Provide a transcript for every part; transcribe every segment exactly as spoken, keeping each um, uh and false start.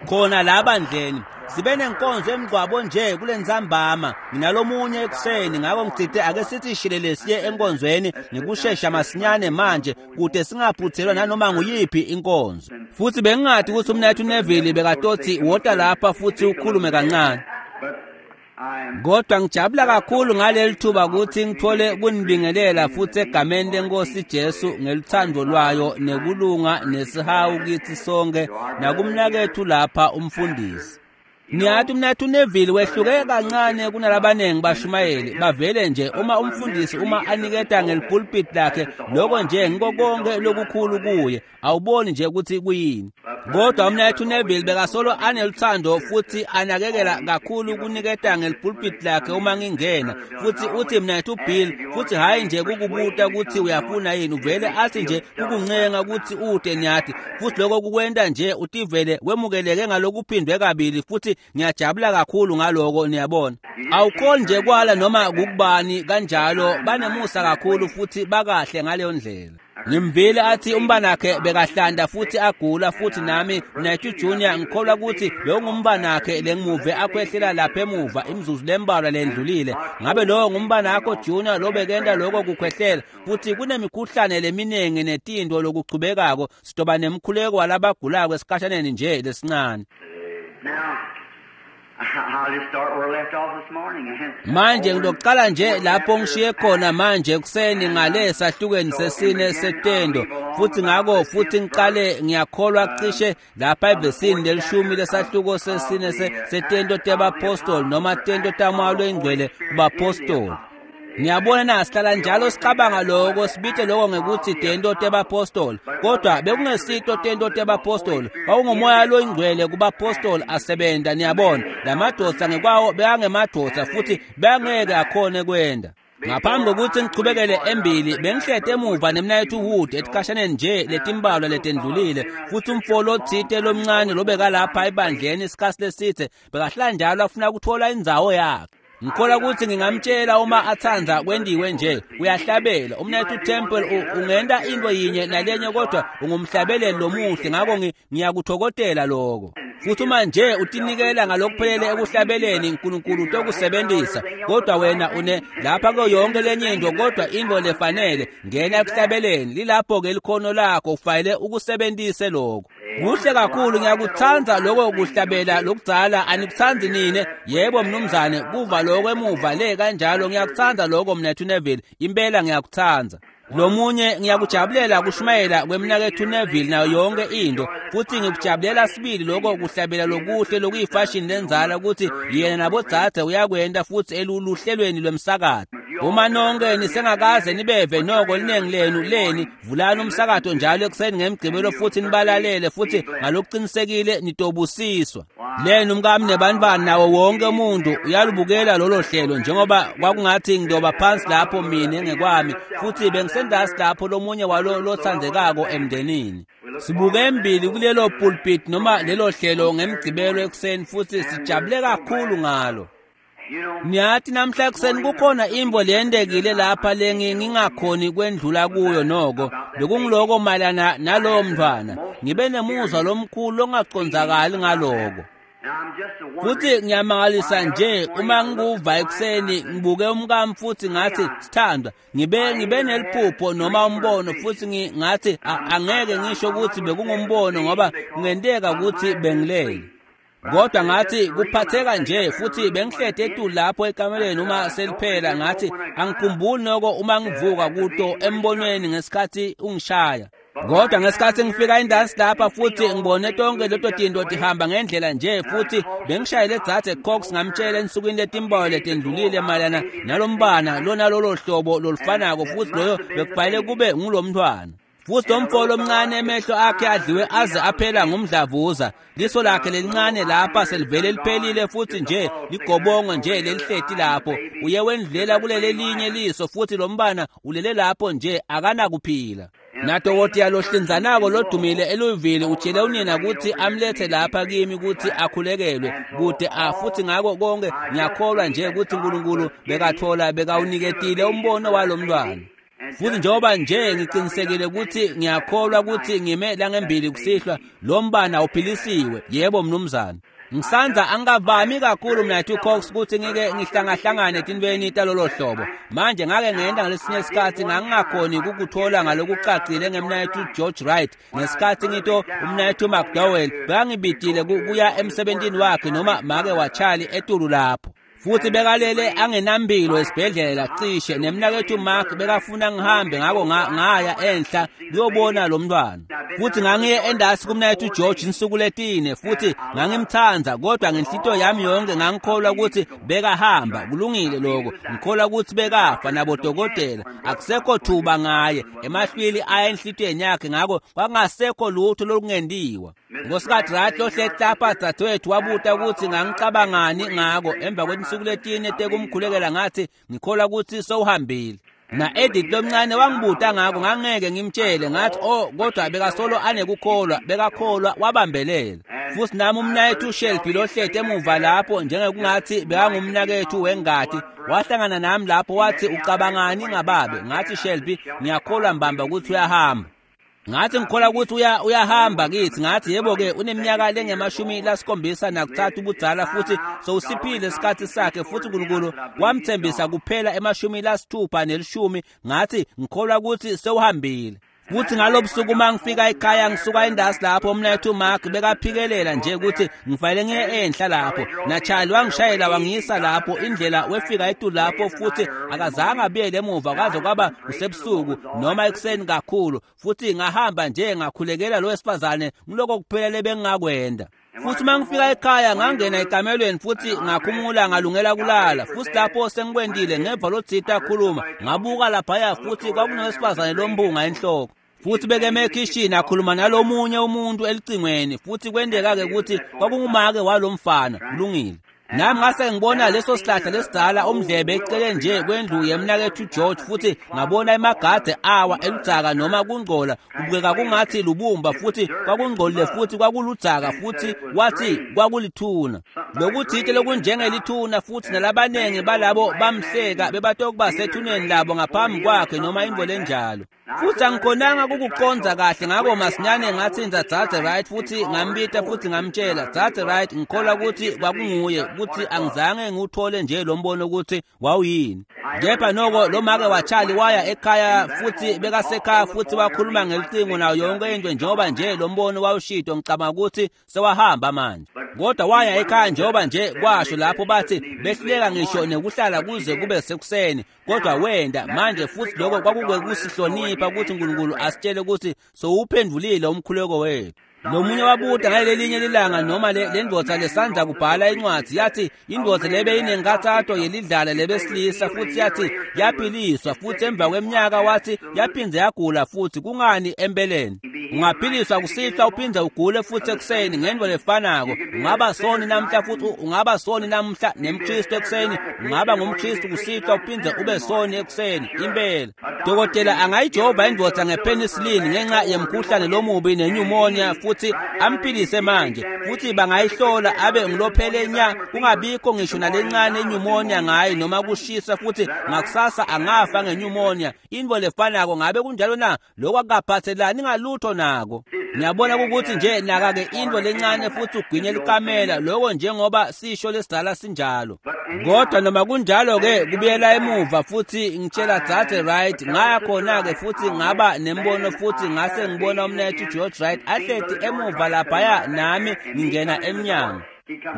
Khona la bandleni sibe nenkonzo emgcwabo nje kulentsambama nginalomunye ekuseni, ngako ngitsite ake sithi shilele siye enkonzweni ngekushesha masinyane manje kute singaphuthelwa nanoma nguyiphi inkonzo. Futhi bengingathi ukuthi umnethu Neville bekatothi wota lapha futhi ukhulume kancane. Kodwa ngijabula kakhulu ngaleli thuba ukuthi ngithole kunibingelela futhi egameni lenkosi Jesu ngeluthando lwayo nekulunga nesihawu kithi sonke nakumnakethu lapha umfundisi. Niyathi umnethu Neville wehluke kancane kunalabanengi bashumayeli bavele nje uma umfundisi uma aniketa ngelipulpit lakhe lokho nje ngiko konke lokukhulu kuye awuboni nje ukuthi kuyini. Kodwa umnethu Neville bekasolo aneluthando futhi anakekela kakhulu kuniketa ngelipulpit lakhe uma ngingena futhi uthi mnethu Bill futhi hayi nje kukubuta ukuthi uyafuna yini uvele athi nje kukuncenga ukuthi ude niyathi futhi lokho kukwenta nje utivele wemukeleke ngalokuphindwe kabili futhi ngiyajabula kakhulu ngaloko niyabona. Awukhoni nje kwala noma kukubani kanjalo banemusa kakhulu futhi bakahle ngaleyo ndlela. Ngimvile athi umbanakhe bekahlanda futhi agula futhi nami Mnethu Junior ngikholwa ukuthi bewungumbanakhe lengimuve akhwehlela lapha emuva imizuzu lembalwa lendlulile. Ngabe lowo ngumbanakho Junior lo bekenda lokho kukhwehlela futhi kunemikhuhlane leminingi netinto lokuchubekako sidoba nemkhuleko walabagulako esikhashaneni nje lesincane. Manje ngizoqala nje lapho ngishiye khona manje kuseni ngale sahlukweni sesine setendo futhi ngako futhi ngiqale ngiyakholwa cishe lapha evesini lelishumi lesahluko sesine setendo tebapostoli noma tento taMoya Oyingcwele kubapostoli. Ngiyabona na sihlala njalo sicabanga lokho sibite lokho ngekuthi tento tebapostoli kodwa bekungesito tento tebapostoli kwawungumoya loyingcwele kubapostoli asebenta niyabona lamadoda ngekwawo bekangemadoda futhi bangeke akhone kwenda. Ngaphambi kokuthi ngichubekele embili bengihlete emuva nemnayethu Wood etikashaneni nje letimbalwa letendlulile futhi umfolo othite lomncane lobeka lapha ebandleni isikhathi lesithe bekahlala njalo afuna ukuthola indzawo yakhe. Ngikholwa ukuthi ngingamtshela uma athanda kwendiwe nje uyahlabela umnethu Temple ungenda into yinye nalenye kodwa ungumhlabeleli lomuhle ngakho ngiyakuthokodela lokho. Futhi uma nje utinikela ngalokuphelele ekuhlabeleni uNkulunkulu utokusebenzisa kodwa wena une lapha kuyo yonke lenye into kodwa into lefanele ngena ekuhlabeleni lilapho ke likhono lakho ufanele ukusebenzise lokho. Kuhle kakhulu ngiyakuthanda lokho kuhlabela lokudzala anikuthandi nine? Yebo mnumzane kuva lokho emuva le kanjalo ngiyakuthanda lokho mnethu Neville impela ngiyakuthanda. Lomunye ngiyakujabulela kushumayela kwemnakethu Neville nayo yonke into futhi ngikujabulela sibili lokho kuhlabela lokuhle lokuyifashion lenzala ukuthi yena nabodzadze uyakwenda futhi eluluhlelweni lwemsakazo. Uma nonke nisengakaze nibeve noko linengi lenu leni vulani umsakazo njalo ekuseni ngemgqibelo futhi nibalalele futhi ngalokuqinisekile nitobusiswa. Lenu umkami nebantwana nawo wonke umuntu uyalubukela lolo hlelo njengoba kwakungathi ngidoba phansi lapho mina ngekwami futhi bengisendasi lapho lomunye walo lothandekako emndenini. Sibuke embili kulelo pulpit noma lelo hlelo ngemgqibelo ekuseni futhi sijabule kakhulu ngalo. Niyathi namhla ekuseni kukhona imvo leyendekile lapha lengi ngingakhoni kwendlula kuyo noko bekungiloko mayelana nalowo mntwana ngibe nemuzwa lomkhulu ongacondzakali ngaloko. Futhi ngiyamangalisa nje uma ngikuva ekuseni ngibuke umkami futhi ngathi sithandwa ngibe ngibe neliphupho noma umbono futhi ngathi angeke ngisho ukuthi bekungumbono ngoba kungenteka ukuthi bengilele. Kodwa ngathi kuphatheka nje futhi bengihlede etulu lapho ekameleni uma seliphela ngathi angikhumbuli noko uma ngivuka kuto embonweni ngesikhathi ungishaya. Kodwa ngesikhathi ngifika indansi lapha futhi ngibone tonke leto tinto tihamba ngendlela nje futhi bengishayele dzadze Cox ngamtshela ensukwini letimbalwa letendlulile mayelana nalombana lona lolo hlobo lolufanako futhi loyo bekufanele kube ngulomntwana. Futhi lomfo lomncane emehlo akhe adliwe aze aphela ngumdlavuza liso lakhe lelincane lapha selivele liphelile futhi nje ligobongo nje lelihleti lapho uye wendlulela kuleli linye liso futhi lombana ulele lapho nje akanakuphila. Nadokotela lohlinzanako lodumile eLouisville utshele unina ukuthi amlethe lapha kimi ukuthi akhulekelwe kude a futhi ngako konke ngiyakholwa nje ukuthi uNkulunkulu bekathola bekawuniketile umbono walomntwana. Futhi njengoba nje ngiqinisekile ukuthi ngiyakholwa ukuthi ngime la ngembili kusihlwa, lo mbana uphilisiwe. Yebo mnumzane. Ngisanza angavami kakhulu mnathu Cox ukuthi ngike ngihlangahlangane etintweni talolo hlobo. Manje ngake ngenda ngalesinye isikhathi ngangingakhoni ukukuthola ngalokucacile ngemnayethu George Wright. Ngesikhathi ngito umnayethu McDowell bangibidile kuya emsebentini wakhe noma make waCharlie etulu lapho. Futhi bekalele angenambilo esibhedlela cishe nemnakethu Mark bekafuna ngihambe, ngako ngaya enhla kuyobona lo mntwana. Futhi ngangiye endasi kumnakethu George insuku letine, futhi ngangimthanda, kodwa ngenhlito yami yonke ngangikholwa ukuthi bekahamba. Kulungile lokho, ngikholwa ukuthi bekafa nabodokotela akusekho thuba ngaye, emahlwili aya enhlitweni yakhe, ngako kwakungasekho lutho olungendiwa. Ngosikhathi Wright lohleti lapha dadewethu wabuta ukuthi ngangicabangani ngako. Emva kwetinsuku letine tekumkhulekela ngathi ngikholwa ukuthi sewuhambile. Na Edith lomncane wangibuta ngako, ngangeke ngimtshele, ngathi oh kodwa bekasolo anekukholwa, bekakholwa wabambelela. Futhi nami umnakethu Shelby lohleti emuva lapho njengekungathi bekangumnakethu wengati, wahlangana nami lapho wathi ucabangani ngababe? Ngathi Shelby ngiyakholwa mbamba ukuthi uyahamba. Ngathi ngikholwa ukuthi uya uyahamba kithi. Ngathi yebo ke uneminyaka lengemashumi lasikhombisa nakuthathu ubudzala, futhi sowusiphile isikhathi sakhe, futhi uNkulunkulu wamthembisa kuphela emashumi lasithupha nelishumi. Ngathi ngikholwa ukuthi sewuhambile. Futhi ngalobusuku uma ngifika ekhaya ngisuka endasi lapho umnakethu Mark bekaphikelela nje ukuthi ngifanele ngiye enhla lapho. NaCharlie wangishayela wangiyisa lapho, indlela wefika etulu lapho, futhi akazange abuyele emuva kwaze kwaba kusebusuku noma ekuseni kakhulu. Futhi ngahamba nje ngakhulekela lo wesifazane, ngiloko kuphela lebengingakwenda. Futhi uma ngifika ekhaya ngangena ekamelweni futhi ngakhumula ngalungela kulala. Futhi lapho sengikwendile ngeva lotsita akhuluma, ngabuka laphaya futhi kwakunowesifazane lombunga enhloko. Futhi bekeme ekhishini akhuluma nalomunye umuntu elicingweni, futhi kwendeka-ke ukuthi kwakungumake walomfana. Kulungile. Nami ngase ngibona leso sihlahla lesidala umdlebe eceleni nje kwendlu yemnakethu George, futhi ngabona emagade awa eludzaka noma kungcola, kubukeka kungathi lubumba, futhi kwakungcolile futhi kwakuludzaka, futhi wathi kwakulithuna. Lokuthite lokunjengelithuna, futhi nalabanengi balabo bamhleka bebatokuba sethuneni labo ngaphambi kwakhe noma into lenjalo. Futhi angikhonanga ukukuqonza kahle, ngako masinyane ngathi nza Dzadze Wright, futhi ngambita futhi ngamtshela, Dzadze Wright, ngikholwa ukuthi kwakunguye, ukuthi angizange ngiwuthole nje lo mbono ukuthi wawuyini. Kepha noko lo make waCharlie waya ekhaya futhi bekasekhaya futhi wakhuluma ngelicingo nayo yonke into njengoba nje lo mbono wawushito. Ngicabanga ukuthi sewahamba manje. Kodwa waya ekhaya njengoba nje kwasho lapho bathi behluleka ngisho nekuhlala kuze kube sekuseni, kodwa wenda manje. Futhi lokho kwakungekusihlonipha ukuthi uNkulunkulu asitshele ukuthi sowuphendulile umkhuleko wethu. Lomunye wabuta ngalelinye lilanga noma le ndvodza lesandza kubhala incwadzi, yathi indvodza lebe inenkathato yelidlala lebesilisa, futhi yathi yaphiliswa, futhi emva kweminyaka wathi yaphindze yagula futhi. Kungani empeleni? Ungaphiliswa kusihlwa uphindze ugule futhi ekuseni ngento lefanako. Ungaba soni namhla futhi ungaba soni namhla nemKristu ekuseni, ungaba ngumKristu kusihlwa uphindze ube soni ekuseni. Impela dokotela angayijova indvodza ngepenicillin ngenxa yemkhuhlane lomubi nenyumonia futhi amphilise manje, futhi bangayihlola abe ngulophele nya, kungabikho ngisho nalencane inyumonia ngaye noma kushisa, futhi ngakusasa angafa ngenyumonia. Into lefanako. Ngabe kunjalo na? Lokho akukaphathelani ngalutho nako. Ngiyabona ukuthi nje naka-ke into lencane futhi ugwinye likamela lokho njengoba sisho lesidala sinjalo. Kodwa noma kunjalo-ke kubuyela emuva futhi ngitshela Dzadze Wright, ngaya khona-ke futhi ngaba nembono futhi ngase ngibona umnethu George Wright ahleti emuva laphaya nami ngingena emnyango.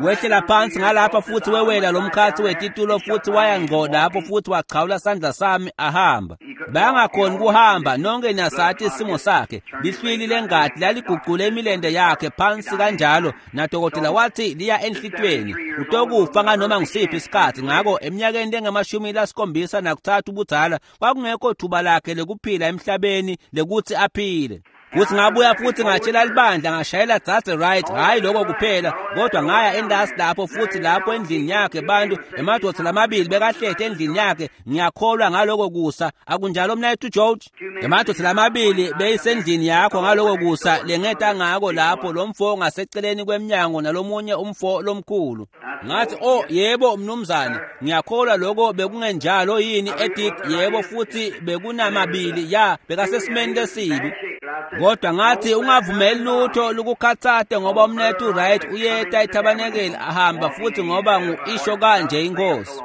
Wehlela phansi ngalapha futhi wewela lo mkhathi wetitulo futhi waya ngqo lapho futhi wachawula sandla sami ahamba. Bangakhoni kuhamba, nonke niyasathi isimo sakhe. Lihlwili lengadi laliguqule imilende yakhe phansi kanjalo, nadokotela wathi liya enhlitweni, utokufa nganoma ngisiphi isikhathi. Ngako eminyakeni lengamashumi lasikhombisa nakuthathu ubudzala kwakungekho thuba lakhe lekuphila emhlabeni lekuthi aphile. Futhi ngabuya futhi ngatshela libandla, ngashayela Dzadze Wright, hhayi lokho kuphela, kodwa ngaya endasi lapho futhi lapho endlini yakhe bantu emadoda lamabili bekahlete endlini yakhe. Ngiyakholwa ngaloko kusa, akunjalo mnayethu George? Emadoda lamabili beyisendlini yakho ngaloko kusa lengeta ngako lapho lo mfo ngaseceleni kwemnyango nalomunye umfo lomkhulu. Ngathi, oh yebo mnumzane, ngiyakholwa lokho bekungenjalo yini Edith? Yebo, futhi bekunamabili ya bekasesimeni lesibi. Kodwa ngathi ungavumeli lutho lukukhathate ngoba umnethu Wright uyeta ethabanekeli ahamba futhi ngoba ngu-isho kanje inkosi.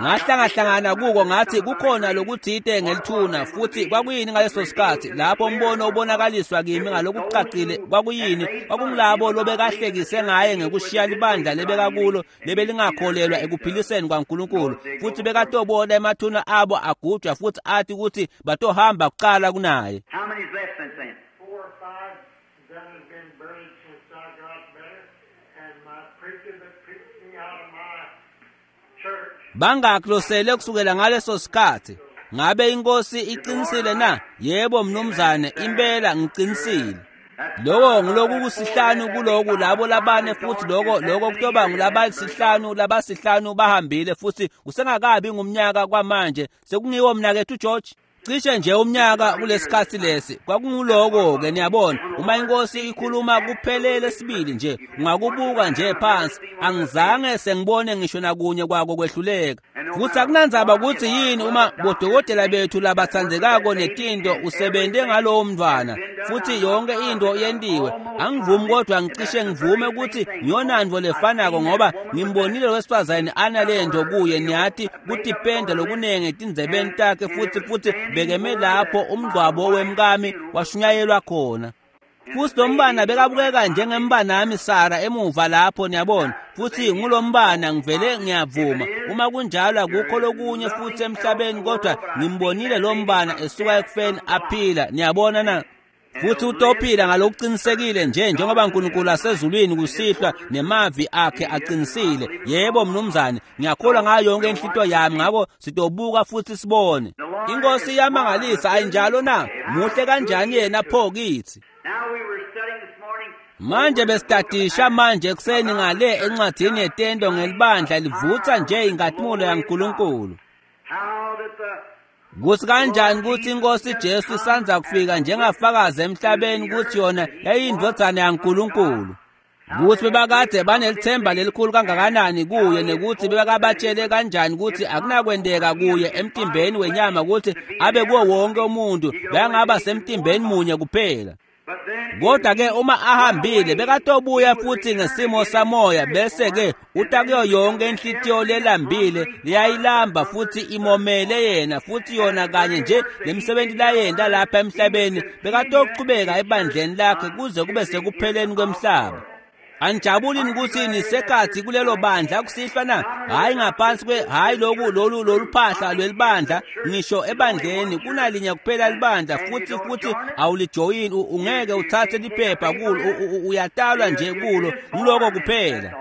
Ngahlangahlangana kuko ngathi kukhona lokuthite ngelithuna. Futhi kwakuyini ngaleso sikhathi lapho umbono ubonakaliswa kimi ngalokucacile? Kwakuyini? Kwakungilabo lobekahlekise ngaye ngekushiya libandla lebekakulo lebelingakholelwa ekuphiliseni kwaNkulunkulu, futhi bekatobona emathuna abo agujwa futhi athi ukuthi batohamba kuqala kunaye. How many's left since then? Four or five that have been buried since I got better, and my preacher that preached me out of my church. Bangaki losele kusukela ngaleso sikhathi? Ngabe inkosi iqinisile na? Yebo mnumzane, impela ngiqinisile. Lokho ngiloku kusihlanu kuloku labo labane, futhi lokho lokho kutoba ngulabasihlanu labasihlanu bahambile, futhi kusengakabi ngumnyaka kwamanje. Sekungiwo mnakethu George, cishe nje umnyaka kulesikhathi lesi. Kwakunguloko-ke, niyabona, uma inkosi ikhuluma kuphelele sibili nje, ungakubuka nje phansi. Angizange sengibone ngisho nakunye kwako kwehluleka. Futhi akunandzaba ukuthi yini, uma bodokotela bethu labatsandzekako netinto usebente ngalowo mntwana futhi yonke into yentiwe, angivumi, kodwa ngicishe ngivume ukuthi ngiyonantfo lefanako, ngoba ngimbonile wesifazane analento kuye, niyathi kutipenda lokunengi etindzebeni takhe, futhi futhi bekeme lapho umngcwabo wemkami washunyayelwa khona. Futhi lo mbana bekabukeka njengembanami Sara emuva lapho, niyabona, futhi ngulombana ngivele ngiyavuma. Uma kunjalo akukho lokunye futhi emhlabeni, kodwa ngimbonile lo mbana esuka ekufeni aphila, niyabona na? Futhi utophila ngalokuqinisekile nje njengoba uNkulunkulu asezulwini kusihlwa nemavi akhe aqinisile. Yebo mnumzane, ngiyakholwa ngayo yonke inhlito yami. Ngakho sitobuka futhi sibone. Inkosi iyamangalisa, ayinjalo na? Muhle kanjani yena pho kithi. Now we were studying this morning. Manje besitadisha manje ekuseni ngale encwadini yetendo ngelibandla livutha nje inkatimulo yaNkulunkulu. How that the Kuthi kanjani ukuthi inkosi Jesu isanza kufika njengafakazi emhlabeni ukuthi yona yayiyindvodzana yaNkulunkulu. Kuthi bebakade banelithemba lelikhulu kangakanani kuye, nekuthi bebakabatshele kanjani ukuthi akunakwendeka kuye emtimbeni wenyama ukuthi abe kuwo wonke umuntu, bekangaba semtimbeni munye kuphela. but then Kodwa ke uma ahambile bekatobuya futhi ngesimo samoya, bese ke uta kuyo yonke inhlitiyo lelambile liyayilamba futhi imomele yena, futhi yona kanye nje lemsebenzi layenta lapha emhlabeni bekatochubeka ebandleni lakhe kuze kube sekupheleni kwemhlaba. Anijabulini ukuthi nisekhathi kulelo bandla kusihlwa na? Hhayi ngaphansi kwe, hhayi loku lolu lolu phahla lwelibandla, ngisho ebandleni kunalinye kuphela libandla, futhi futhi awulijoyini, u- ungeke uthathe liphepha kulo, u- u- uyatalwa nje kulo, nguloko kuphela.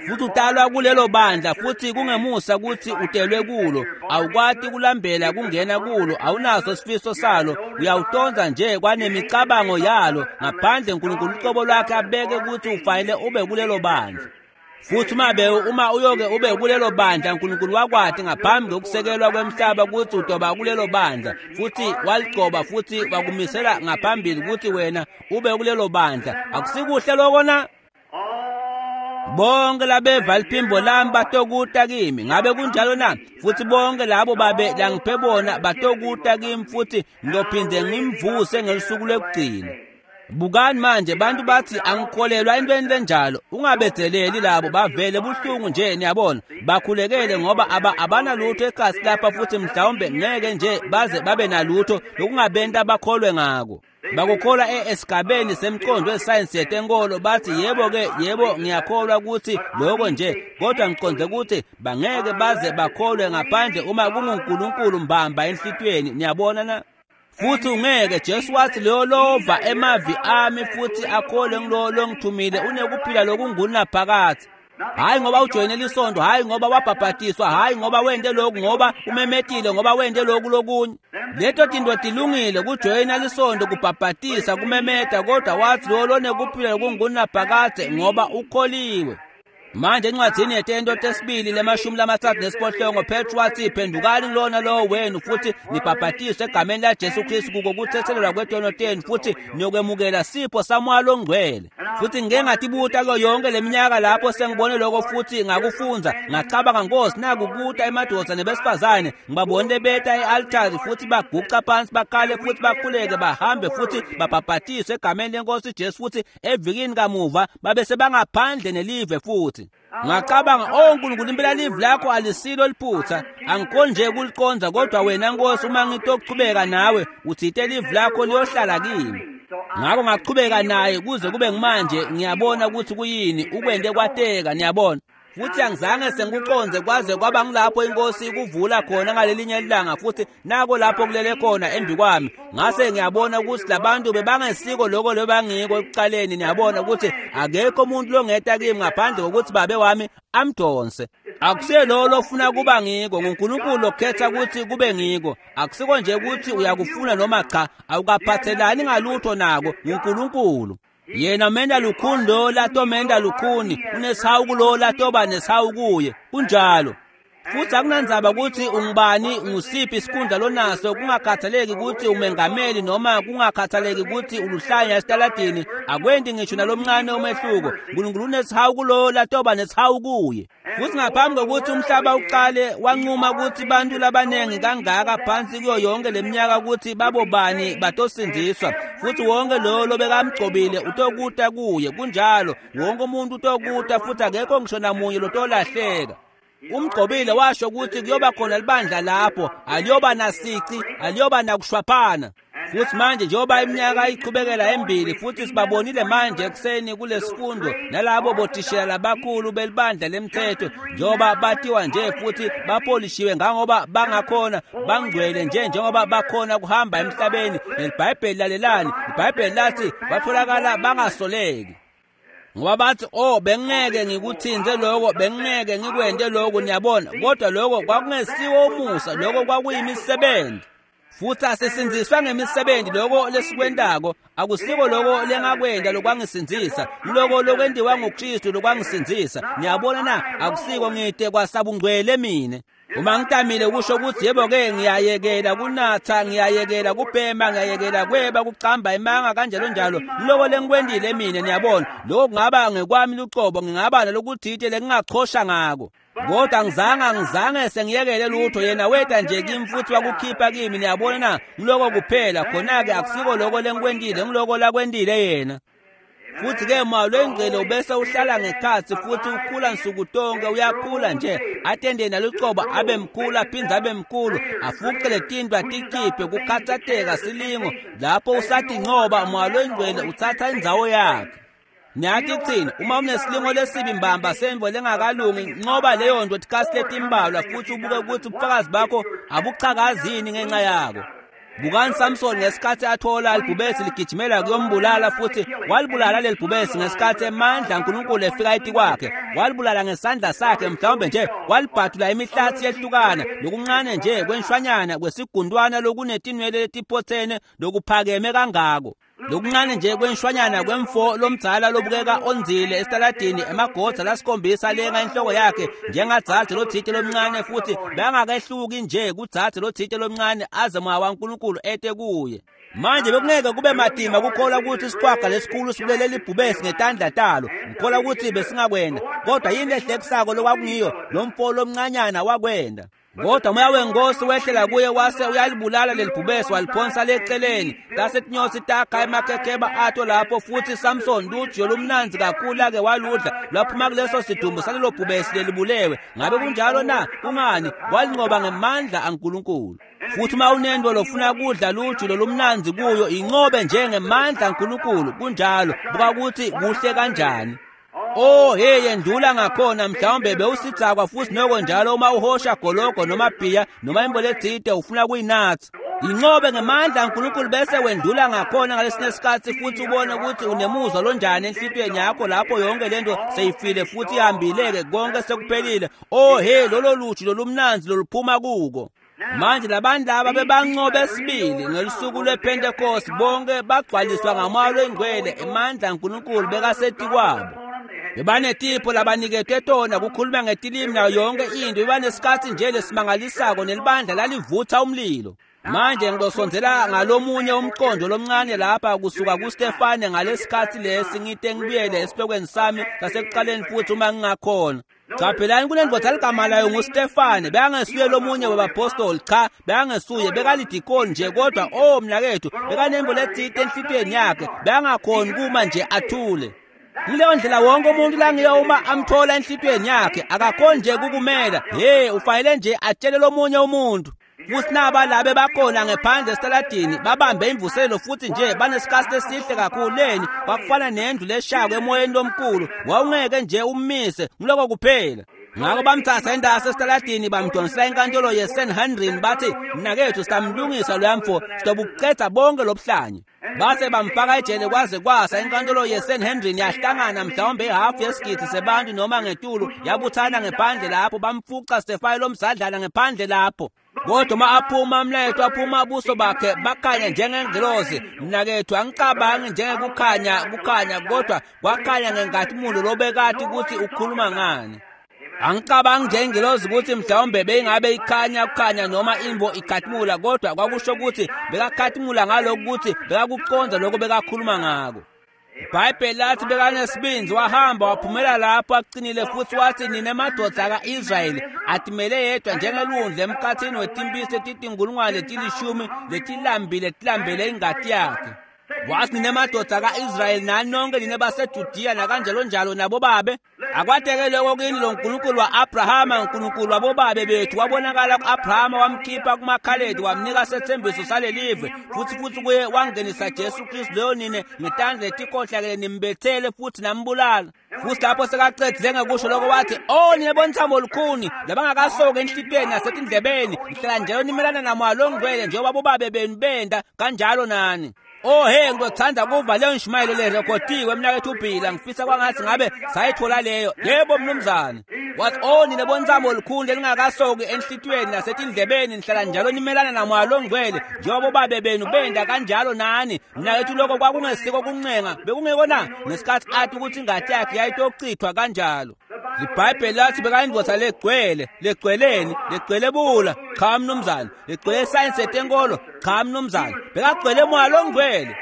Futhi utalwa kulelo bandla, futhi kungemusa ukuthi utelwe kulo. Awukwati kulambela kungena kulo, awunaso sifiso salo, uyawutonza nje kwanemicabango yalo, ngaphandle uNkulunkulu ucobo lwakhe abeke ukuthi ufanele ube kulelo bandla. Futhi uma be uma uyoke ube kulelo bandla, uNkulunkulu wakwati ngaphambi kokusekelwa kwemhlaba ukuthi utoba kulelo bandla, futhi waligcoba futhi wakumisela ngaphambili ukuthi wena ube kulelo bandla. Akusikuhle lokho na? all Bonke labeva liphimbo lami batokuta kimi. Ngabe kunjalo na? Futhi bonke labo babe langiphe bona batokuta kimi, futhi ngiyophinde ngimvuse ngelusuku lwekugcina. Bukani manje, bantu bathi angikholelwa entweni lenjalo. Ungabedzeleli labo, bavele buhlungu nje, niyabona. Bakhulekele ngoba aba abanalutho ekhasi lapha, futhi mhlawumbe ngeke nje baze babe nalutho lokungabenta bakholwe ngako. Bakukholwa e- esigabeni semqondo wesayensi yetenkolo, bathi yebo ke, yebo ngiyakholwa ukuthi lokho nje, kodwa ngiqonde ukuthi bangeke baze bakholwe ngaphandle uma kunguNkulunkulu mbamba enhlitiyweni, niyabona na? Futhi ungeke, Jesu wathi leyo lova emavi ami futhi akholwe ngilo longithumile unekuphila lokungunaphakadze. Hhayi ngoba ujoyine lisondo, hhayi ngoba wabhabhatiswa, hhayi ngoba wente lokhu, ngoba umemetile, ngoba wente lokhu lokunye. Leto tinto tilungile, kujoyina lisondo, kubhabhatisa, kumemeta, kodwa wathi lowo lonekuphila lokungunaphakadze ngoba ukholiwe. Manje encwadzini yetento tesibili lemashumi lamatsatfu nesiphohlongo Petru watsi phendukani kulona lowo wenu futhi nibhabhatiswe egameni laJesu Kristu kuko kuthethelelwa kwetono tenu futhi niyokwemukela sipho saMoya Longcwele. Futhi ngike ngatibuta kuyo yonke leminyaka lapho sengibone lokho futhi ngakufundza ngacabanga, Nkosi, nakukuta emadoda nebesifazane ngibabonile beta e-altari futhi baguca phansi bakhale futhi bakhuleke bahambe futhi babhabhatiswe egameni lenkosi Jesu futhi evikini kamuva babe sebangaphandle nelive futhi. Ngacabanga, oh Nkulunkulu, impela live lakho alisilo liphutha, angikhoni nje kuliconza, kodwa wena Nkosi uma ngitokuchubeka nawe uthite live lakho liyohlala kimi. Ngakho ngachubeka naye kuze kube ngimanje, ngiyabona ukuthi kuyini ukwente kwateka, niyabona. Futhi angizange sengikuconze kwaze kwaba ngilapho inkosi ikuvula khona ngalelinye ilanga futhi nako lapho kulele khona embi kwami. Ngase ngiyabona ukuthi labantu bebangesiko lokho lebangiko ekuqaleni, niyabona ukuthi akekho umuntu longeta kimi ngaphandle kokuthi babe wami amdonse. Akusiye lowo lofuna kuba ngiko, nguNkulunkulu okhetha ukuthi kube ngiko. Akusiko nje ukuthi uyakufuna noma cha, awukaphathelani ngalutho nako, nguNkulunkulu. Yena menda lukhuni lo latomenda lukhuni, unesihawu kulo latoba nesihawu kuye. Kunjalo. Futhi akunandzaba ukuthi ungubani, ngusiphi isikhundla lonaso, kungakhathaleki ukuthi umengameli noma kungakhathaleki ukuthi uluhlanya esitaladini, akwenti ngisho nalomncane umehluko. Nkulunkulu unesihawu kulo latoba nesihawu kuye. Futhi ngaphambi kokuthi umhlaba uqale wanquma ukuthi bantu labanengi kangaka phansi kuyo yonke leminyaka ukuthi babobani batosindziswa, futhi wonke lowo lobekamgcobile utokuta kuye. Kunjalo, wonke umuntu utokuta futhi akekho ngisho namunye lotolahleka. Umgcobile washo ukuthi kuyoba khona libandla lapho, aliyoba nasici, aliyoba nakushwaphana. Futhi manje njengoba iminyaka iqhubekela embili futhi sibabonile manje ekuseni kulesifundo nalabo bothishela labakhulu belibandla lemthetho, njengoba batiwa nje futhi bapolishiwe ngangoba bangakhona, bangcwele nje njengoba bakhona kuhamba emhlabeni. NeliBhayibheli, lalelani, iBhayibheli lathi batholakala bangasoleki. Ngoba bathi, oh, bengeke ngikuthinze lokho, bengeke ngikwente lokho, niyabona. Kodwa lokho kwakungesiwo umusa, lokho kwakuyimisebenzi. Futhi asisindziswa ngemisebenzi lokho lesikwentako, akusiko lokho lengakwenta lokwangisindzisa, lokho lokwentiwa nguKristu lokwangisindzisa. Niyabona na, akusiko ngide kwasabungcwele mine. Uma ngitamile kusho ukuthi yebo-ke ngiyayekela kunatha, ngiyayekela kubhema, ngiyayekela kweba, kucamba imanga kanjalo njalo, loko lengikwentile mina, niyabona. Lokho kungaba ngekwami lucobo, ngingaba nalokuthite lengingachosha ngako. Kodwa angizange angizange sengiyekele lutho, yena weta nje kimi futhi wakukhipha kimi, niyabona na, ngiloko kuphela. Khona-ke akusiko lokho lengikwentile, ngiloko lakwentile yena. Futhi ke Moya Longcwele ubese uhlala ngekhatsi futhi ukhula nsuku tonke, uyakhula nje atende nalucobo abe mkhulu aphindze abe mkhulu, afuqe letinto atikhiphe kukhatsateka silingo. Lapho usathi ncoba, Moya Longcwele uthatha indzawo yakhe. Niyathi kuthini? Uma unesilingo lesibi mbamba semvo lengakalungi, ncoba leyo nto tikasi letimbalwa futhi ubuke ukuthi ubufakazi bakho abuchakazini ngenxa yako. Bukani Samson ngesikhathi athola libhubesi ligijimela kuyombulala, futhi walibulala leli bhubesi ngesikhathi emandla aNkulunkulu efika etikwakhe. Walibulala ngesandla sakhe, mhlawumbe nje walibhadula imihlathi yehlukana, lokuncane nje kwenshwanyana kwesigundwana lokunetinwele letiphothene lokuphakeme kangako. Lokuncane nje kwenshwanyana kwemfo lomdzala lobukeka onzile esitaladini, emagodza lasikhombisa lenga inhloko yakhe njengadzadze lothite lomncane, futhi bangakehluki nje kudzadze lothite lomncane aze Moya waNkulunkulu ete kuye. Manje bekungeke kube matima kukholwa ukuthi isiqhwaga lesikhulu sibulele libhubesi ngetandla talo, ngikholwa ukuthi besingakwenda. Kodwa yini lehlekisako lokwakungiyo, lo mfo lomncanyana wakwenda. Kodwa Moya wenkosi wehlela kuye wase uyalibulala lelibhubesi waliphonsa leceleni. Tase tinyosi takha emakhekheba ato lapho, futhi Samson lujiyo lumnandzi kakhulu ake waludla lwaphuma kuleso sidumbu salelo bhubesi lelibulewe. Ngabe kunjalo na? Kungani? Walinqoba ngemandla aNkulunkulu. Futhi uma unento lofuna kudla lujulo lumnandzi kuyo, inqobe njengemandla aNkulunkulu. Kunjalo. Buka ukuthi kuhle kanjani. Oh hey, yendlula ngakhona, mhlawumbe bewusidzakwa futhi noko njalo uma uhosha gologo noma bhiya noma imbo letsite ufuna kuyinatsa. Inqobe ngemandla kaNkulunkulu bese wendula ngakhona ngalesinye isikhathi futhi ubone ukuthi unemuzwa lonjani enhlitiyweni yakho lapho yonke lento seyifile futhi ihambile-ke konke sekuphelile. Oh he, lolo luju lolumnanzi loluphuma kuko. Manje labantu laba bebanqobe sibili ngelusuku lwePentecost, bonke bagcwaliswa ngamoya longcwele, emandla kaNkulunkulu bekasethi kwabo. Bebanetipho labaniketwe tona kukhuluma ngetilimi nayo yonke into, bebanesikhathi nje lesimangalisako nelibandla lalivutha umlilo. Manje ngizosondzela ngalomunye umqondo lomncane lapha kusuka kuStefane ngalesikhathi lesi, ngite ngibuyele esihlokweni sami sasekuqaleni futhi uma ngingakhona. Qaphelani kunendvodza ligama layo nguStefane, bekangesuye lomunye wabapostoli, cha, bekangesuye, bekalidikoni nje, kodwa oh mnakethu, bekanembo letsite enhlitiyweni yakhe, bekangakhoni kuma nje athule. Kuleyo ndlela wonke umuntu langiyo uma amthola enhlitiyweni yakhe, akakhoni nje kukumela, hey, ufanele nje atshele lomunye umuntu. Futhi naba labe bakhona ngephandle esitaladini babambe imvuselelo futhi nje banesikhathi esihle kakhulu leni, kwakufana nendlu leshako emoyeni lomkhulu, wawungeke nje ummise, ngiloko kuphela. Ngakho bamthatha endase esitaladini bamdonsela inkantolo yeSanhedrin, bathi mnakethu sitamlungisa loya mfo, sizobuqeda bonke lobuhlanya. Base bamfaka ejele kwaze kwasa. Inkantolo yeSanhedrin yahlangana mhlawumbe ihafu yesigidi sebantu noma ngetulu, yabuthana ngephandle lapho, bamfuca Stefane lomzadlana ngephandle lapho. Kodwa uma aphuma umlayeto, aphuma ubuso bakhe bakhanya njengengilozi. Mnakethu, angicabangi njengekukhanya kukhanya, kodwa kwakhanya ngenkazimulo lobekade ukuthi ukhuluma ngani. Angicabangi njengengilozi ukuthi mhlawumbe beyingabe ikhanya kukhanya noma imbo ikhathimula, kodwa kwakusho ukuthi bekakhathimula ngalokhu ukuthi bekakuconda lokho bekakhuluma ngako. IBhayibheli lathi bekanesibindi, wahamba waphumela lapho aqinile futhi wathi, nina madoda ka-Israyeli atimele yedwa njengelundle emkhathini wetimpisi letitinkulungwane letilishumi letilambile tilambele ingati yakhe. Wathi, nina madoda ka-Israyeli nani nonke nina baseJudiya nakanjalo njalo nabobabe, akwateke lokho kini lo Nkulunkulu wa-Abrahama, uNkulunkulu wabobabe bethu wabonakala ku-Abrahama, wamkhipha kumaKhaledi, wamnika sethembiso salelive, futhi futhi kuye wangenisa Jesu Kristu leyo nine ngetandla letikhohlakele nimbethele futhi nambulala. Futhi lapho sekacedzile ngekusho lokho wathi, oh nina bonthamo olukhuni labangakasoki enhlitiyweni nasetindlebeni, nihlala njalo nimelana namoya longcwele njengoba bobabe benu benda kanjalo nani. Oh hey, ngizothanda kuva leyo nshumayelo lerekhodiwe mnakethu uBhila, ngifisa kwangathi ngabe sayithola leyo. Yebo mnumzane. Wathi, oh nina bontsamo olukhulu lelingakasoki enhlitiyweni nasetindlebeni, nihlala njalo nimelana namoya longcwele njengoba bobabe benu benda kanjalo nani. Mnakethu, lokho kwakungesiko kuncenga, bekungeko na ngesikhathi athi ukuthi ingati yakhe yayitochithwa kanjalo. IBhayibheli lathi bekayindvodza legcwele, legcweleni, legcwele bula, cha mnumzane, legcwele sayensi yetenkolo, cha mnumzane, bekagcwele moya longcwele.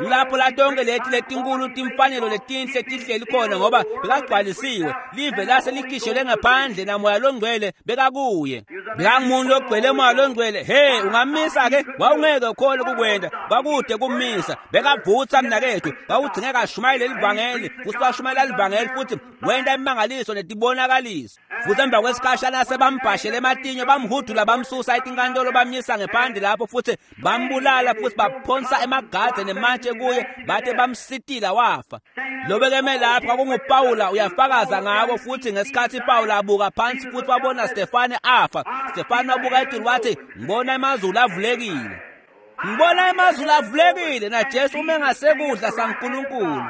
Lapho la tonke leti letinkulu timfanelo letinhle tihleli khona ngoba bekagcwalisiwe, live lase likhishelwe ngaphandle namoya longcwele bekakuye. Bekangumuntu ogcwele moya longcwele. Hey, ungamisa ke? Wawungeke ukhone kukwenda, kwakude kumisa. Bekavutha mnakethu, kwakudingeka ashumayele livangeli, futhi washumayela livangeli futhi wenda imangaliso netibonakaliso. Futhi emva kwesikhashana sebambhashele ematinyo, bamhudula bamsusa etinkantolo, bamyisa ngephandle lapho futhi bambulala futhi baphonsa emagade nematshe kuye, bathe bamsitila wafa. Lobekeme lapho kwakunguPawula, uyafakaza ngako. Futhi ngesikhathi Pawula abuka phansi futhi wabona Stefane afa, Stefane wabuka etulu wathi, ngibona amazulu avulekile, ngibona amazulu avulekile naJesu ume ngasekudla saNkulunkulu.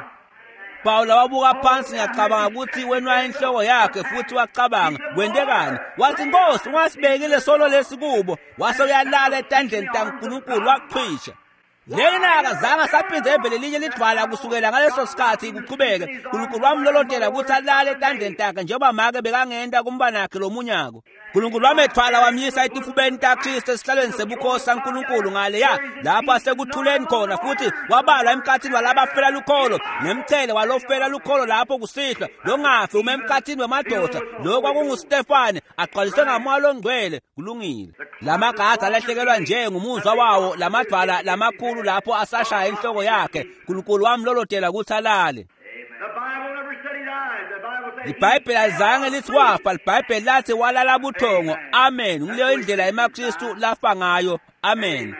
Pawula wabuka phansi, ngiyacabanga ukuthi wenwaya inhloko yakhe futhi wacabanga kwentekani. Wathi, Nkosi, ungasibekile solo lesi kubo. Wase uyalala etandleni taNkulunkulu, waqhwisha. Lena akazange asaphinde evele linye lidwala kusukela ngaleso sikhathi kuqhubeke. uNkulunkulu wamlolotela ukuthi alale etandleni takhe njengoba make bekangenta kumbanakhe lomunyako. uNkulunkulu wamethwala wamyisa etifubeni taKristu esihlalweni sebukhosi saNkulunkulu ngaleya lapho asekuthuleni khona, futhi wabalwa emkhathini walabafela lukholo nemchele walofela lukholo lapho kusihlwa longafi uma emkhathini wemadoda. Lokho kwakunguStefane agcwaliswe ngamoya longcwele. Kulungile. Lamagada alahlekelwa nje ngumuzwa wawo, lamadwala lamakhulu lapho asashaya inhloko yakhe. uNkulunkulu wamlolotela ukuthi alale. IBhayibheli alizange lithi wafa, iBhayibheli lathi walala buthongo. Amen. Nguleyo indlela emaKristu lafa ngayo. Amen.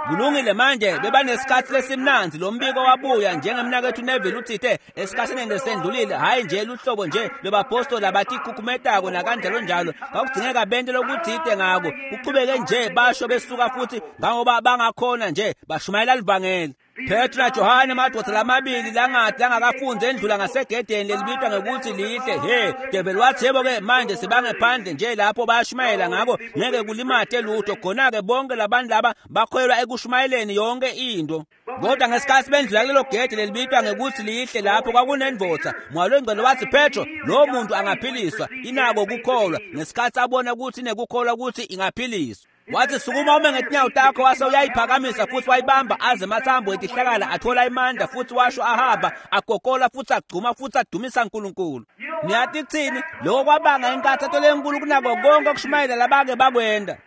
Kulungile manje bebanesikhathi lesimnandzi lo mbiko wabuya njengemnakethu Neville utsite esikhathini lesendlulile hhayi nje luhlobo nje lwebapostoli abatikhukumetako nakanjalo njalo kwakudingeka bente lokutsite ngako kuchubeke nje basho besuka futhi ngangoba bangakhona nje bashumayela livangeli. Petro naJohane madoda lamabili langathi langakafunzi endlula ngasegedeni lelibitwa ngekuthi lihle. He devil wathi yebo-ke manje sibangephandle nje lapho bayashumayela ngako ngeke kulimate lutho. Khona-ke bonke labantu laba bakholelwa ekushumayeleni yonke into. Kodwa ngesikhathi bendlula kulelo gede lelibitwa ngekuthi lihle lapho kwakunendvodza Moya Longcwele wathi Petro lo muntu angaphiliswa inako kukholwa. Ngesikhathi abona ukuthi inekukholwa ukuthi ingaphiliswa wathi sukuma ume ngetinyawo takho, wase uyayiphakamisa futhi wayibamba aze emathambo etihlakala athola imandla futhi washo ahamba agogola futhi agcuma futhi adumisa uNkulunkulu. Niyathi kuthini? Lokho kwabanga inkathazo lenkulu kunako konke okushumayela labake bakwenda.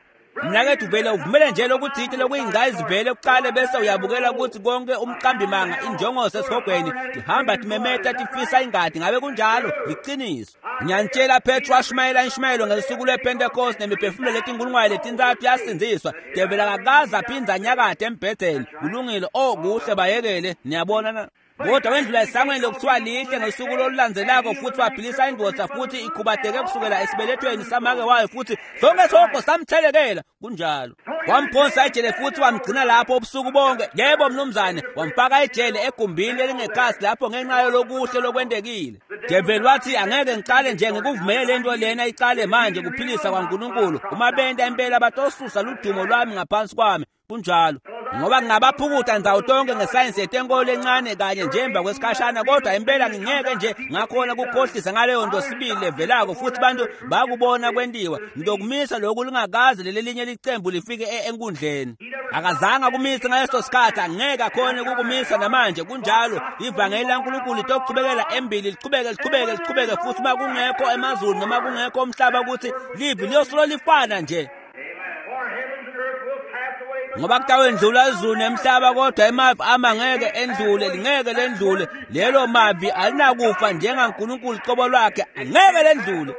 Mnakethu vele uvumele nje lokuthite lokuyingcayizivele kuqale bese uyabukela ukuthi konke umqambimanga injongoso esihogweni tihamba timemeta tifisa ingadi. Ngabe kunjalo? Liqiniso. Ngiyanitshela Petro washumayela inshumayelo ngesuku lwePentecost nemiphefumulo letinkulungwane letintathu yasindziswa. Develi akakaze aphindze anyakade embhedeni. Kulungile. Oh kuhle bayekele. Niyabona na? Kodwa wendlula esangweni lokuthiwa lihle ngosuku olulandzelako futhi waphilisa indvodza futhi ikhubateke kusukela esibelethweni samake wayo futhi sonke isihogo samthelekela. Kunjalo. Wamphonsa ejele futhi wamgcina lapho ubusuku bonke. Yebo mnumzane, wamfaka ejele egumbini elingekhasi lapho ngenxa yolokuhle lokwendekile. Develi wathi angeke ngicale nje ngikuvumele lento lena icale manje kuphilisa kwaNkulunkulu. Uma benta impela batosusa ludumo lwami ngaphansi kwami. Kunjalo. Ngoba ngingabaphukuta ndzawo tonke ngesayensi yetenkolo encane kanye nje emva kwesikhashana, kodwa impela ngingeke nje ngakhona kukhohlisa ngaleyo nto sibili levelako futhi bantu bakubona kwentiwa. Ngizokumisa lokhu lingakaze lelelinye licembu lifike enkundleni. Akazange akumise ngaleso sikhathi, angeke akhone ukukumisa namanje. Kunjalo. Ivangeli laNkulunkulu litokuchubekela embili lichubeke lichubeke lichubeke futhi uma kungekho emazulu noma kungekho umhlaba ukuthi livi liyosolo lifana nje. Ngoba kutawendlula izulu nemhlaba kodwa emavi ama ngeke endlule, lingeke lendlule. Lelo mavi alinakufa njengaNkulunkulu qobo lwakhe, angeke lendlule.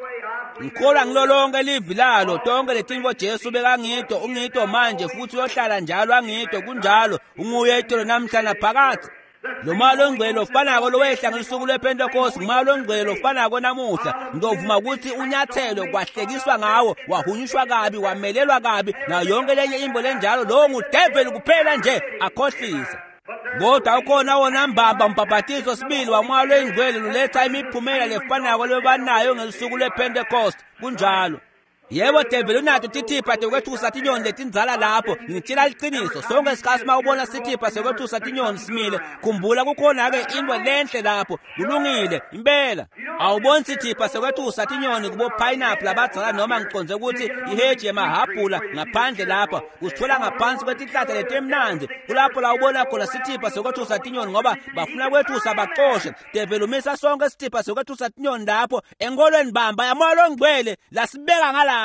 Ngikholwa ngilo lonke livi lalo, tonke letinto Jesu bekangito, ungito manje futhi uyohlala njalo angito. Kunjalo. Unguye itolo namhla naphakathi. Lo Moya Longcwele ofanako lowehla ngesuku lwePentecost, nguMoya Longcwele ofanako namuhla. Ngizovuma ukuthi unyathelo kwahlekiswa ngawo, wahunyushwa kabi, wamelelwa kabi nayo yonke lenye imbo lenjalo. Lowo ngudeveli kuphela nje akhohlisa. Kodwa ukhona wona mbamba umbhabhatizo sibili waMoya Longcwele luletha imiphumela lefanako lebanayo ngesuku lwePentecost. Kunjalo. Yebo develi unato tithipha tekwethusa tinyoni letindzala lapho. Ngitshela liqiniso, sonke isikhathi uma ubona sithipha sekwethusa tinyoni simile, khumbula kukhona-ke into lenhle lapho. Kulungile impela. Awuboni sithipha sekwethusa tinyoni kubo pineapple abadzala noma ngiconze ukuthi iheji yemahhabhula ngaphandle lapha usithola ngaphansi kwetihlahla letimnandzi. Kulapho la ubona khona sithipha sekwethusa tinyoni ngoba bafuna kwethusa baxoshe. Develi umisa sonke isithipha sekwethusa tinyoni lapho enkolweni bamba yaMoya Longcwele lasibeka ngala.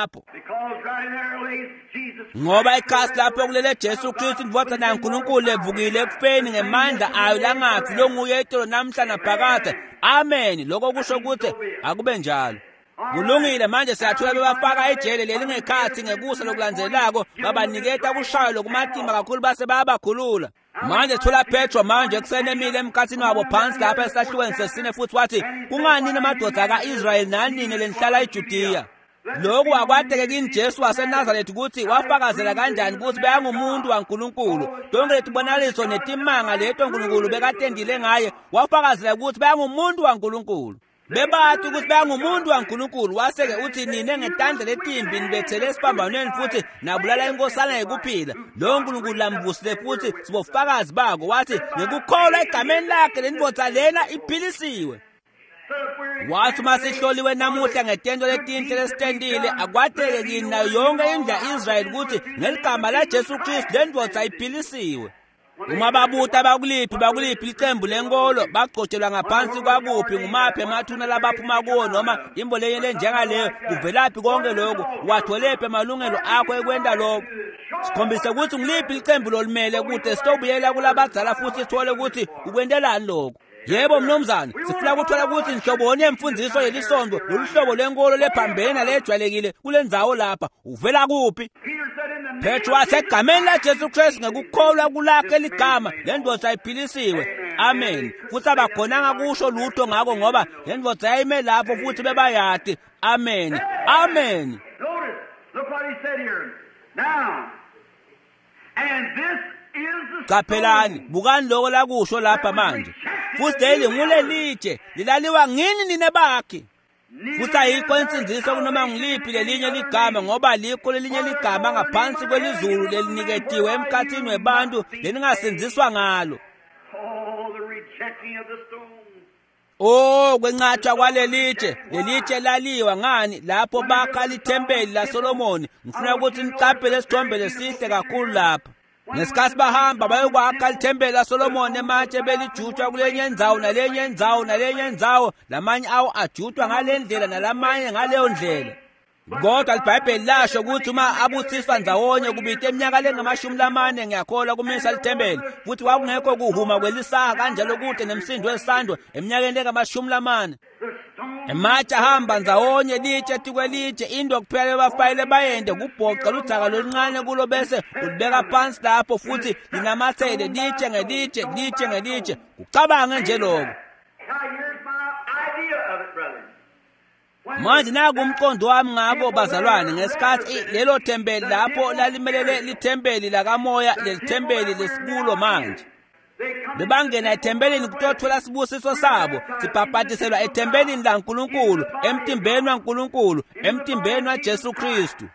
Ngoba ikhasi lapho kulele Jesu Kristu indvodzana yaNkulunkulu levukile ekufeni ngemandla ayo langafi longuye itolo namhla naphakade. Amen. Lokho kusho ukuthi akube njalo. Kulungile. Manje siyathola bebafaka ejele lelingekhathi ngekusa lokulandzelako babaniketa kushaywa lokumatima kakhulu base bayabakhulula. Manje thola Petro manje kusenemile emkhathini wabo phansi lapha esahlukweni sesine futhi wathi kungani namadoda ka-Israyeli nanini lenihlala eJudiya? Lokhu akwateke kini Jesu waseNazaretha ukuthi wafakazela kanjani ukuthi bekangumuntu waNkulunkulu. Tonke letibonakaliso netimanga leto uNkulunkulu bekatendile ngaye, wafakazela ukuthi bekangumuntu waNkulunkulu. Bebathi ukuthi bekangumuntu waNkulunkulu. Wase-ke uthi nine ngetandla letimbi nibethele esiphambanweni futhi nabulala inkosana yekuphila. Lowo Nkulunkulu lamvusile futhi sibofakazi bako. Wathi ngekukholwa egameni lakhe lendvodza lena iphilisiwe. Wathi uma sihloliwe namuhla ngetento letinhle lesitendile, akwateke kini nayo yonke indlu ya-Israyeli ukuthi ngeligama laJesu Kristu lendvodza iphilisiwe. Uma babuta bakuliphi bakuliphi licembu lenkolo, bagcotshelwa ngaphansi kwakuphi, ngumaphi emathuna labaphuma kuwo noma imbo lenye lenjengaleyo, kuvelaphi konke lokhu, watholephi amalungelo akho ekwenta lokho? Sikhombise ukuthi ngiliphi licembu lolimele kude sitobuyela kulabadzala futhi sithole ukuthi ukwentelani lokho. Yebo mnumzane, sifuna ukuthola ukuthi nhloboni yemfundiso yelisondo lolu hlobo lwenkolo lephambene nalejwayelekile kule ndzawo lapha uvela kuphi? Petro wathi egameni laJesu Kristu ngekukholwa kulakhe ligama le ndvodza iphilisiwe. Amen. Futhi abakhonanga kusho lutho ngako ngoba le ndvodza yayime lapho futhi bebayati. Amen. Amen. Notice, look what he said here. Now, and this is the Qaphelani, stone bukani lokho lakusho lapha manje. Futhi leli ngulelitshe lilaliwa ngini nine bakhe. Futhi ayikho insindiso kunoma ngiliphi lelinye ligama ngoba likho lelinye ligama ngaphansi kwelizulu leliniketiwe emkhathini webantu leningasindziswa ngalo. Oh, the rejecting of the stone. Oh, kwenqatshwa kwalelitshe, lelitshe laliwa ngani lapho bakha lithempeli laSolomoni. Ngifuna ukuthi niqaphele isithombe lesihle kakhulu lapha. Ngesikhathi bahamba bayokwakha lithempeli laSolomoni ematshe belijutshwa kulenye indzawo nalenye indzawo nalenye indzawo, lamanye awo ajutshwa ngale ndlela nalamanye ngaleyo ndlela. Kodwa iBhayibheli lasho ukuthi uma abuthiswa ndzawonye kubita eminyaka lengamashumi lamane ngiyakholwa kumisa lithempeli, futhi kwakungekho kuhuma kwelisaha kanjalo kude nemsindo wesando eminyakeni lengamashumi lamane. The stone Ematshe ahamba ndzawonye litshe tikwelitshe, into kuphela bafayile bayende kubhoca ludzaka loluncane kulo bese ulibeka phansi lapho futhi linamathele litshe ngelitshe litshe ngelitshe. Kucabange nje lokho. Now here's my idea of it, brethren. When Manje naku umqondo wami ngabo bazalwane ngesikhathi i- lelo thempeli lapho lalimelele lithempeli lakamoya lelithempeli lesikulo manje. they come Bebangena ethempelini kutothola sibusiso sabo, sibhabhatiselwa ethempelini laNkulunkulu, emtimbeni waNkulunkulu, emtimbeni waJesu Kristu.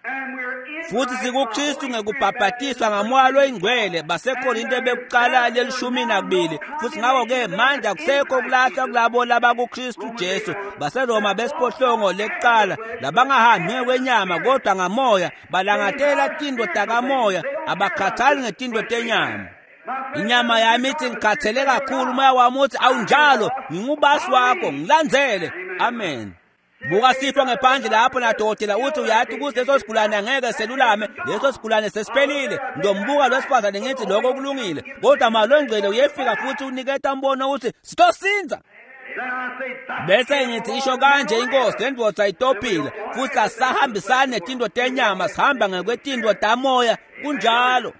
and we're in Futhi sikuKristu ngekubhabhatiswa ngamoya loyingcwele baseKorinte bekuqala lelishumi nakubili. Futhi ngakho-ke manje akusekho kulahlwa kulabo labakuKristu Jesu baseRoma besiphohlongo lekuqala labangahambi ngekwenyama kodwa ngamoya balangatela tinto takamoya abakhathali ngetinto tenyama. Inyama yami ithi ngikhathele kakhulu, umoya wami uthi awunjalo, ngingubasi wakho, ngilandzele. Amen. Buka sifo ngephandle lapho nadokotela uthi uyathi ukuthi leso sigulane angeke selulame, leso sigulane sesiphelile. Ndombuka lo sifazane ngithi lokho kulungile, kodwa malongcwele uyefika futhi uniketa umbono uthi sitosinza. Then I say, "Thus Bese ngithi isho kanje inkosi, le ndvodza itophile futhi asisahambisani netinto tenyama, sihamba ngekwetinto tamoya. Kunjalo.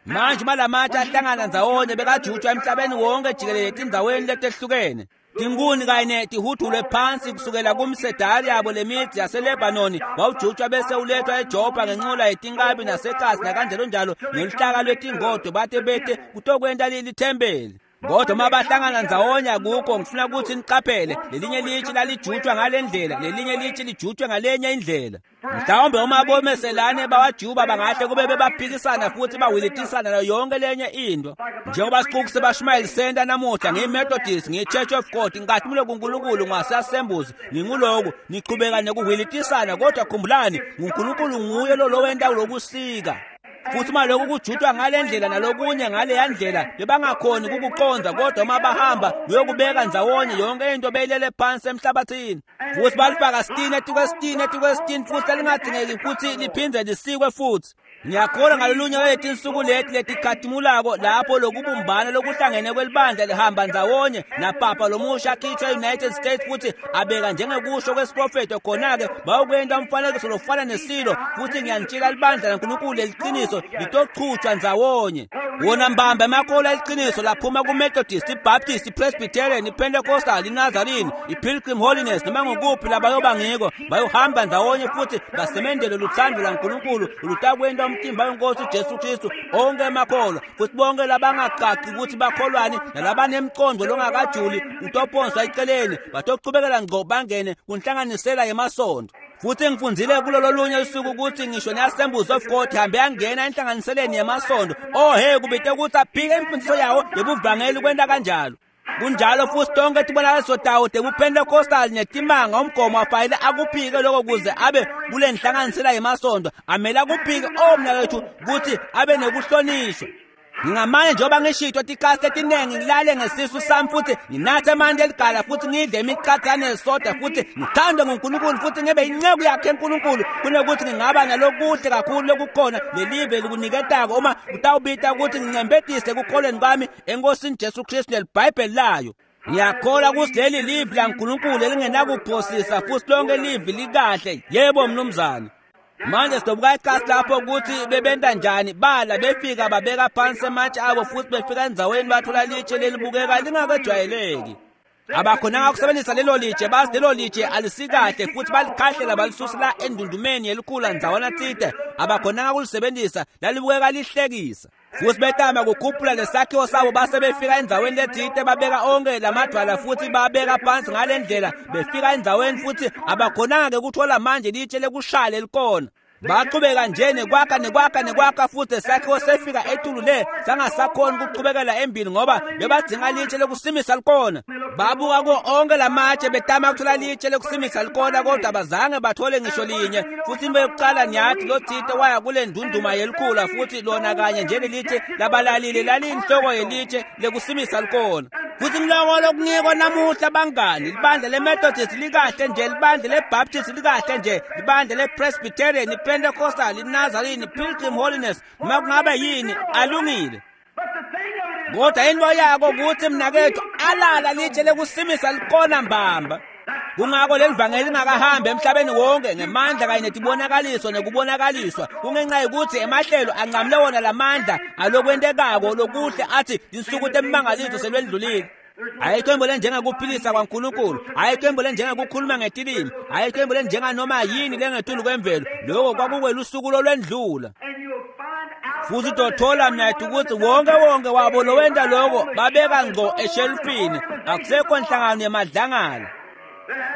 Manje malamatshe ahlangana ndzawonye bekajutshwa emhlabeni wonke jikelele etindzaweni letehlukene. Tinkuni kanye tihudulwe phansi kusukela kumsedari yabo lemithi yaseLebanoni wawujutshwa bese ulethwa eJopha ngenqola yetinkabi nasekasi nakanjalo njalo ngeluhlaka lwetingodo bate bete kutokwenta lithempeli. Kodwa uma bahlangana ndzawonye akukho, ngifuna ukuthi niqaphele lelinye litshe lalijutshwa ngale ndlela, lelinye litshe lijutshwe ngalenye indlela. Mhlawumbe uma bomeselane bawajuba bangahle kube bebaphikisana futhi bawilitisana nayo yonke lenye into. Njengoba sixuku sebashumayeli senta namuhla, ngiyi-Methodist, ngiyi-Church of God, ngingathumule kuNkulunkulu ngaseAssemblies, nginguloku, niqhubeka nekuhwilitisana, kodwa khumbulani, nguNkulunkulu nguye lo lowenta lokusika. Futhi uma lokhu kujutshwa ngale ndlela nalokunye ngaleya ndlela bebangakhoni kukuqonda, kodwa uma bahamba kuyokubeka ndzawonye yonke into beyilele phansi emhlabathini. Futhi balifaka sitini etikwesitini etikwesitini futhi elingadingeki ukuthi liphinde lisikwe futhi. Ngiyakholwa ngalolunye lwetinsuku leti letikhatimulako lapho lokubumbana lokuhlangene kwelibandla lihamba ndzawonye napapa lomusha akhishwa e-United States futhi abeka njengekusho kwesiprofetho, khona-ke bayokwenta umfanekiso lofana nesilo. Futhi ngiyanitshela libandla laNkulunkulu leliqiniso litochutshwa ndzawonye. Wona mbamba emakholwa eliqiniso laphuma ku-Methodist, i-Baptist, i-Presbyterian, i-Pentecostal, i-Nazarene, i-Pilgrim Holiness, noma ngukuphi labayoba ngiko, bayohamba ndzawonye futhi basemendele luthando laNkulunkulu lutakwenta umtimba wenkosi uJesu Kristu onke emakholwa. Futhi bonke labangaqaqi ukuthi bakholwani nalabanemqondo longakajuli utophonswa eceleni, batochubekela ngqo bangene kunhlanganisela yemasonto. Futhi ngifundzile kulolo lunye usuku ukuthi ngisho ne-Assemblies of God hambe yangena enhlanganiseleni yemasonto. Oh he, kubite ukuthi aphike imfundiso yawo yebuvangeli kwenta kanjalo. Kunjalo futhi tonke tibonakaliso tawo tebuPentecostal netimanga umgomo afayile akuphike lokho kuze abe kule nhlanganisela yemasonto, amele akuphike omnakethu ukuthi abe nekuhlonishwa. Ngingamane njengoba ngishito tikasi letiningi ngilale ngesisu sami futhi nginathe amanti eligala futhi ngidle imiqathane yesoda futhi ngithandwe nguNkulunkulu futhi ngibe inceku yakhe eNkulunkulu kunokuthi ngingaba nalokuhle kakhulu lokukhona lelive likuniketako uma kutawubita ukuthi ngincembetise ekukholweni kwami eNkosini Jesu Kristu neliBhayibheli layo. Ngiyakholwa ukuthi leli livi laNkulunkulu elingenakuphosisa futhi lonke livi likahle. Yebo mnumzane. Manje sidobuka ikhasi lapho ukuthi bebenta njani bala befika babeka phansi ematshe abo futhi befika endzaweni bathola litshe lelibukeka lingakejwayeleki. Abakhonanga ukusebenzisa lelo litshe, bazi lelo litshe alisikahle futhi balikhahlela balisusela endundumeni yelikhula ndzawana tsite. Abakhonanga ukulisebenzisa, lalibukeka lihlekisa. Futhi betama kukhuphula lesakhiwo sabo base befika endzaweni letsite babeka onke lamadwala futhi babeka phansi ngale ndlela befika endzaweni futhi abakhonanga-ke ukuthola manje litshe lekushaya lelikona. Baqhubeka nje nekwakha nekwakha nekwakha futhi lesakhiwo sefika etulu le sangasakhoni ukuqhubekela embili ngoba bebadzinga litshe lekusimisa likona. Babuka kuwo onke lamatshe betama ukuthola litshe lekusimisa likona kodwa abazange bathole ngisho linye. Futhi into yokuqala niyathi lotsite waya kule ndunduma yelikhula futhi lona kanye njengelitshe labalalile laliyinhloko yelitshe lekusimisa likona. Futhi ngiloko lokunikwa namuhla bangani, libandla le-Methodist likahle nje, libandla le-Baptist likahle nje, libandla le-Presbyterian, i-Pentecostal, i-Nazarene, i-Pilgrim Holiness, noma kungabe yini, alungile. Kodwa into yako ukuthi mnakethu alala litshe lekusimisa likona mbamba. Kungako leli vangeli lingakahambi emhlabeni wonke ngemandla kanye netibonakaliso nekubonakaliswa kungenxa yokuthi emahlelo anqamule wona lamandla alokwentekako lokuhle athi tinsuku temimangaliso selwendlulile. Ayikho into lenjengakuphilisa kwaNkulunkulu, ayikho into lenjengakukhuluma ngetilimi, ayikho into lenjenganoma yini lengetulu kwemvelo. Lokho kwakukwelusuku lolwendlula. Futhi utothola mnethu ukuthi wonke wonke wabo lowenta lokho babeka ngco eshelufini, akusekho nhlangano yemadlangala.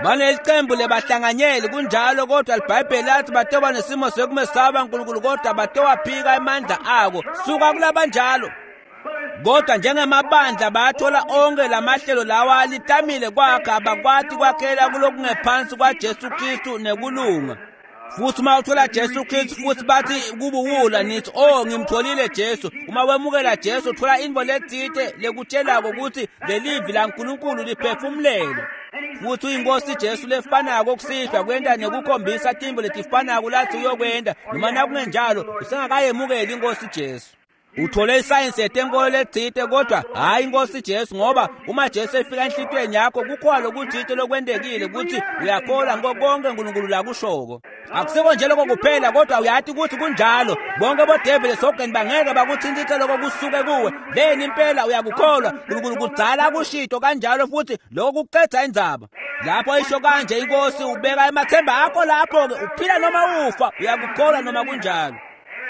Banelicembu lebahlanganyeli kunjalo, kodwa iBhayibheli lathi batoba nesimo sokumesaba uNkulunkulu kodwa batowaphika amandla ako. Suka kulabanjalo. Kodwa njengamabandla bathola onke lamahlelo lawa litamile kwakha abakwati kwakhela kulokungephansi kwaJesu Kristu nekulunga. Futhi uma uthola Jesu Kristu futhi bathi kubuwula nithi oh ngimtholile Jesu. Uma wemukela Jesu uthola into letsite lekutshelako ukuthi lelivi laNkulunkulu liphefumulelwe. Futhi uyinkosi Jesu lefanako kusihlwa kwenta nekukhombisa timbo letifanako lathi uyokwenta, noma nakungenjalo usengakayemukeli inkosi Jesu. Uthole isayensi yetenkolo letsite kodwa hhayi inkosi Jesu, ngoba uma Jesu efika enhlitiyweni yakho kukhona lokutsite lokwentekile ukuthi uyakholwa ngiko konke uNkulunkulu lakushoko. Akusiko nje lokho kuphela kodwa uyathi ukuthi kunjalo. Bonke bodeveli esihogweni bangeke bakuthintithe lokho kusuke kuwe. Leni impela uyakukholwa uNkulunkulu kudzala kushito kanjalo futhi lokho kuqeda indzaba. Lapho isho kanje inkosi ubeka emathemba akho lapho-ke uphila noma ufa uyakukholwa noma kunjalo.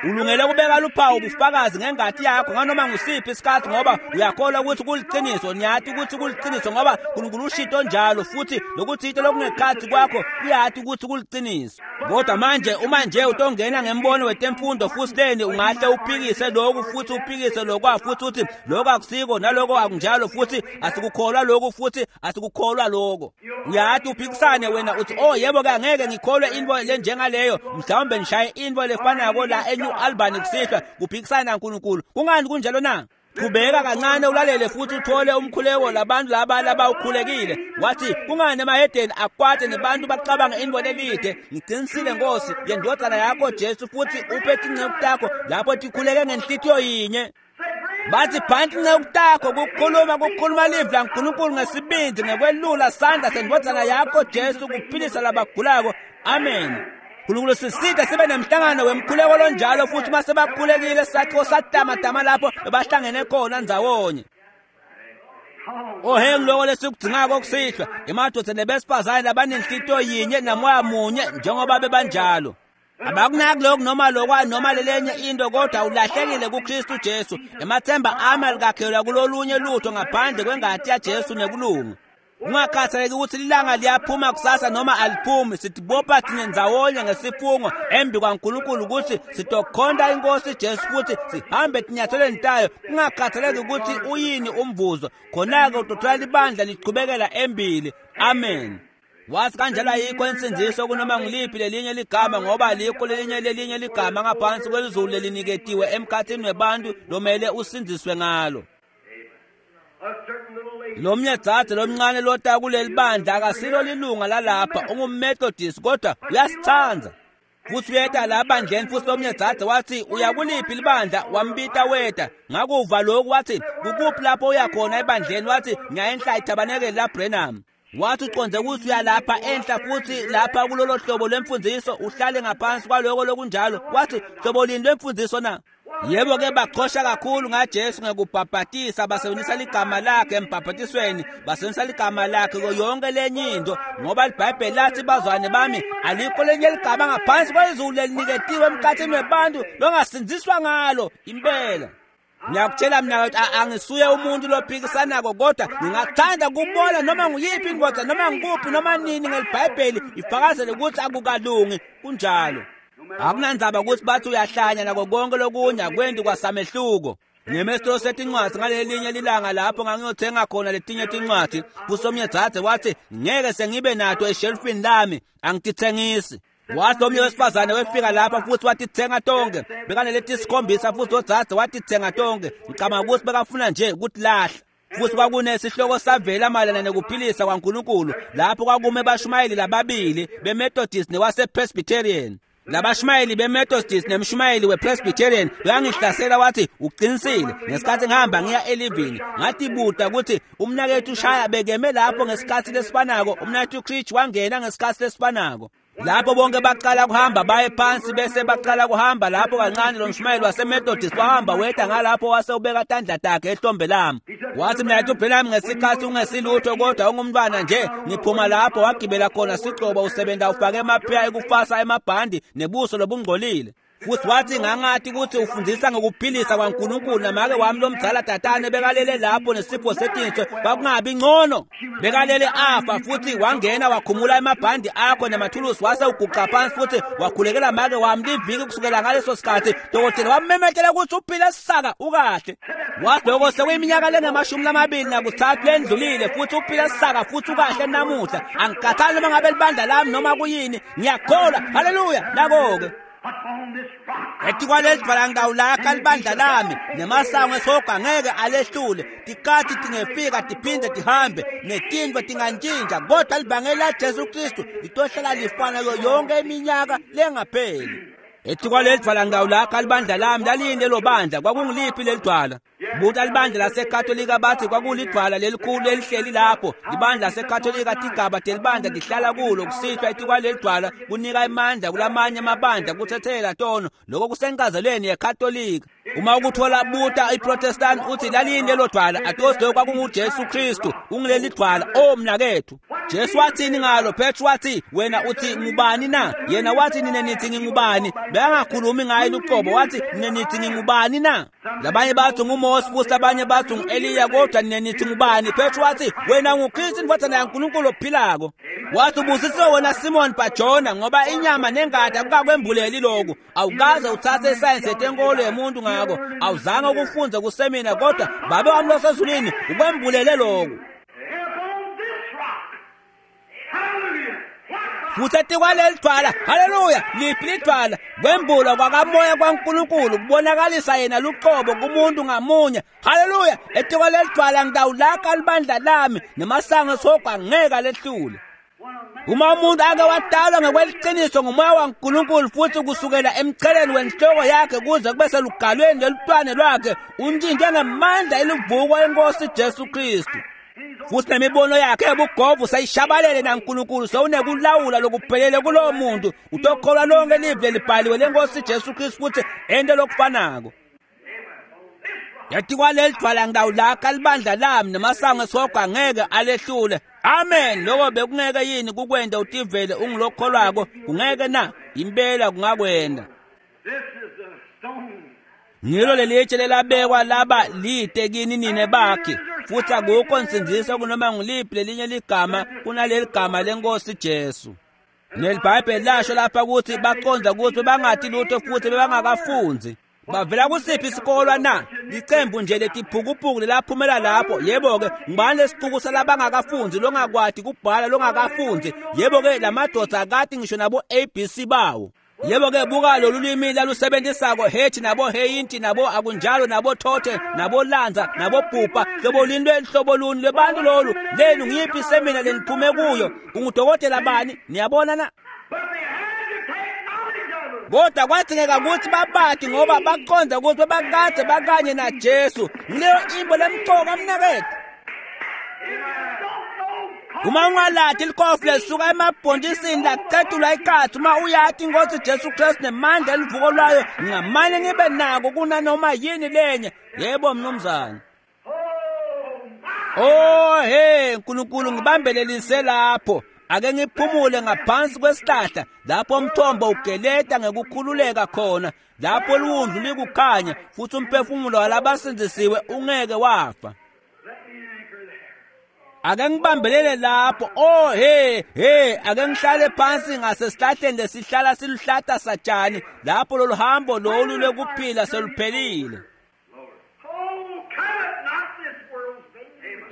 Ulungele ukubeka luphawu ubufakazi ngengati yakho nganoma ngusiphi isikhathi ngoba uyakholwa ukuthi kuliqiniso. Niyathi ukuthi kuliqiniso ngoba uNkulunkulu ushito njalo futhi lokuthite lokungekhathi kwakho uyathi ukuthi kuliqiniso. Kodwa manje uma nje utongena ngembono wetemfundo futhi leni ungahle uphikise lokhu futhi uphikise lokwa futhi uthi lokho akusiko naloko akunjalo futhi asikukholwa lokhu futhi asikukholwa lokho. Uyathi uphikisane wena uthi oh yebo ke angeke ngikholwe into lenjengaleyo, mhlawumbe nishaye into lefanako la eNew Albany kusihlwa kuphikisana naNkulunkulu. Kungani kunjalo na? Qhubeka kancane ulalele futhi uthole umkhuleko labantu laba labawukhulekile. Wathi kungani emahedeni akwate nebantu bacabanga into lelide? Ngiqinisile Nkosi yendodana yakho Jesu futhi uphe tinceku takho lapho tikhuleke ngenhlitiyo yinye. Bathi phansi inceku takho kukhuluma kukhuluma livi laNkulunkulu ngesibindi ngekwelula sandla sendodana yakho Jesu kuphilisa labagulako. Amen. Nkulunkulu siside sibe nemhlangano wemkhuleko lonjalo futhi uma sebakhulekile sakhiwo satamatama lapho bebahlangene khona ndzawonye. Ohe ngiloko lesikudzingako kusihlwa emadoda nebesifazane labanenhlitiyo yinye namoya munye njengoba bebanjalo. Abakunaki lokhu noma lokwa noma lelenye into kodwa ulahlekile kuKristu Jesu. Emathemba ami alikakhelwa kulolunye lutho ngaphandle kwengati yaJesu nekulunga. Kungakhathaleki ukuthi ilanga liyaphuma kusasa noma aliphumi, sitibopha thina ndzawonye ngesifungo embi kwaNkulunkulu ukuthi sitokhonta inkosi Jesu futhi sihambe tinyathelweni tayo. Kungakhathaleki ukuthi uyini umvuzo, khona-ke utothola libandla lichubekela embili. Amen. Wathi kanjalo ayikho insindiso kunoma ngiliphi lelinye ligama ngoba alikho lelinye lelinye ligama ngaphansi kwelizulu leliniketiwe emkhathini webantu lomele usindziswe ngalo. Lomnye dzadze lomncane lota kuleli bandla akasilo lilunga lalapha, ungumMethodist kodwa uyasithanda. Futhi uyeta la bandleni futhi lomnye dzadze wathi uyakuliphi libandla, wambita weta. Ngakuva lokhu wathi kukuphi lapho uya khona ebandleni, wathi ngiya enhla ithabanekeli laBrenham. Wathi uconze ukuthi uyalapha enhla futhi lapha kulolo hlobo lwemfundiso uhlale ngaphansi kwaloko lokunjalo. Wathi hlobo lini lwemfundiso na? Yebo ke baxhosha kakhulu ngaJesu ngekubhabhatisa, basebenzisa ligama lakhe embhabhatisweni, basebenzisa ligama lakhe kuyo yonke lenye into, ngoba iBhayibheli lathi bazwane bami alikho lenye ligama ngaphansi kwezulu leliniketiwe emkhathini webantu longasindziswa ngalo impela. Ngiyakutshela mina ukuthi angisuye umuntu lophikisanako, kodwa ngingathanda kubona noma nguyiphi indoda noma ngikuphi noma nini ngelibhayibheli ifakazele ukuthi akukalungi kunjalo. Akunandzaba ukuthi bathi uyahlanya nako konke lokunye akwendi kwasamehluko. Ngemesitolo setincwadzi ngalelinye lilanga lapho ngangiyothenga khona letinye tincwadzi, kusomnye dzadze wathi ngeke sengibe nato eshelfini lami, angititsengisi. Wathi omnye wesifazane wefika lapha futhi watithenga tonke, bekaneletisikhombisa futhi odzadze watithenga tonke. Ngicabanga ukuthi bekafuna nje ukutilahla. Futhi kwakunesihloko savela mayelana nekuphilisa kwaNkulunkulu lapho kwakume bashumayeli lababili beMethodist newasePresbyterian. Labashumayeli beMethodist nemshumayeli wePresbyterian uyangihlasela wathi uqinisile. Ngesikhathi ngihamba ngiya elivini ngatibuta ukuthi umnakethu ushaya bekeme lapho ngesikhathi lesifanako, umnakethu Creech wangena ngesikhathi lesifanako. Lapho bonke baqala kuhamba baye phansi bese baqala kuhamba lapho kancane lo mshumayeli waseMethodist wahamba weda ngalapho wase ubeka tandla takhe ehlombe lami. Wathi mina uBranham ngesikhathi ungesilutho kodwa ungumntwana nje, ngiphuma lapho wagibela khona sigcobo usebenza ufake emaphiya ekufasa emabhandi nebuso lobungcolile. Futhi wathi ngangathi ukuthi ufundisa ngokuphilisa kwaNkulunkulu namake wami lomdzala tatane bekalele lapho nesipho setinso kwakungabi ngcono. Bekalele afa futhi wangena wakhumula emabhandi akho nemathulusi wase uguqa phansi futhi wakhulekela make wami liviki kusukela ngaleso sikhathi. Dokotela wamemethela ukuthi uphile sisaka ukahle. Wathi lokho sekuyiminyaka lengamashumi lamabili nakuthathu lendlulile futhi uphile sisaka futhi ukahle namuhla. Angikhathali noma ngabe libandla lami noma kuyini, ngiyakholwa. Haleluya. Nako-ke etikwaleli dvwala ngitawulakha libandla lami nemasango esihogo angeke alehlule. Tikati tingefika tiphinde tihambe netintfo tingantshintsha, kodwa libangeli laJesu Kristu litohlala lifana kuyo yonke iminyaka lengapheli. Etikwaleli dvwala ngitawulakha libandla lami. Laliyini lelo bandla? Kwakungiliphi leli dvwala? Buta libandla laseKatolika bathi kwakulidvwala lelikhulu lelihleli lapho. Libandla laseKatolika tigaba telibandla tihlala kulo kusihlwa etikwaleli dvwala kunika emandla kulamanye amabandla kuthethela tono. Lokho kusenkazelweni yeKatolika. Uma ukuthola buta iProtestant uthi laliyini lelo dvwala, atosi lokho kwakunguJesu Kristu ungileli dvwala. O mnakethu, Jesu wathini ngalo? Petru wathi wena uthi ngubani na? Yena wathi nina nithi ngingubani? Bekangakhulumi ngaye luqobo, wathi nina nithi ngingubani na? Labanye bathi nguMose futhi labanye bathi ngu-Eliya, kodwa nina nithi ngubani? Petru wathi wena nguKristu indvodzana yaNkulunkulu ophilako. Wathi ubusisiwe wena Simon Bajona, ngoba inyama nengati akukakwembuleli lokhu. Awukaze uthathe isayensi yetenkolo yemuntu ngako, awuzange ukufunze kusemina, kodwa Babe wami losezulwini ukwembulele lokhu. Futhi etikwaleli dvwala, haleluya, liphi lidvwala? Kwembulwa kwakamoya kwaNkulunkulu kubonakalisa yena luqobo kumuntu ngamunye. Haleluya, etikwaleli dvwala ngitawulakha libandla lami nemasango esihogo angeke alehlule. Uma umuntu ake wadalwa ngokweliciniso ngumoya waNkulunkulu futhi kusukela emcheleni wenhloko yakhe kuze kube selugalweni lolutwane lwakhe untshintshwe ngamandla elivuko enkosi Jesu Kristu. Futhi nemibono yakhe yobugovu seyishabalele naNkulunkulu sewunekulawula lokuphelele kulowo muntu. Utokholwa lonke live lelibhaliwe lenkosi Jesu Kristu futhi ente lokufanako. Etikwaleli dvwala ngitawulakha libandla lami nemasango esihogo angeke alehlule. Amen. Lokho bekungeke yini kukwenda utivele ungilokholwako? Kungeke na? Impela kungakwenda. Ngilo lelitshe lelabekwa laba lide kini nine bakhe, futhi akukho nsindziso kunoma nguliphi lelinye ligama kunaleli gama lenkosi Jesu. NeliBhayibheli lasho lapha ukuthi baqonda ukuthi bangathi lutho futhi bebangakafunzi. Bavela kusiphi isikolwa na? Licembu nje letiphukuphuku lelaphumela lapho. Yebo-ke, ngubani lesixuku salabangakafunzi longakwati kubhala longakafunzi? Yebo-ke, lamadoda akati ngisho nabo A B C bawo. Yebo-ke, buka lolu lwimi lalusebenzisako, hethi nabo heyinti nabo akunjalo nabo thothe nabo lanza nabo bhubha. Hlobo luni lwehlobo luni lwebantu lolu? Lenu ngiyiphi isemina leniphume kuyo? Ungudokotela bani? Niyabona na? Kodwa kwadzingeka ukuthi babati ngoba baqonda ukuthi bakade bakanye naJesu. Ngileyo imbo lemcoka mnakethu. Uma ungalati likofi lesuka emabhontisini lacetulwa ikhatsi, uma uyati inkosi Jesu Kristu nemandla elivuko lwayo, ngingamane ngibe nako kunanoma yini lenye. Yebo mnumzane. Oh hey, Nkulunkulu ngibambelelise lapho. Ake ngiphumule ngaphansi kwesihlahla lapho umthombo ugeleta ngekukhululeka khona, lapho liwundlu likukhanya futhi umphefumulo walabasindzisiwe ungeke wafa. Ake ngibambelele lapho. Oh hey hey, ake ngihlale phansi ngasesihlahleni lesihlala siluhlata satshani lapho lolu hambo lolu lwekuphila seluphelile.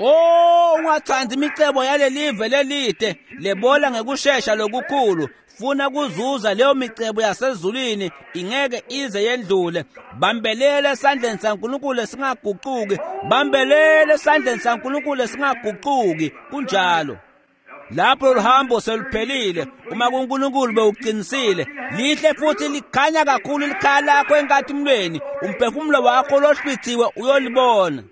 Oh, ungathandi imicebo yalelive lelide lebola ngekushesha lokukhulu. Funa kuzuza leyo micebo yasezulwini, ingeke ize yendlule. Bambelele esandleni saNkulunkulu singaguquki, bambelele esandleni saNkulunkulu singaguquki. Kunjalo. Lapho luhambo seluphelile, uma kuNkulunkulu bewuqinisile, lihle futhi likhanya kakhulu likhaya lakho enkatimulweni, umphefumulo wakho lohlwithiwe uyolibona.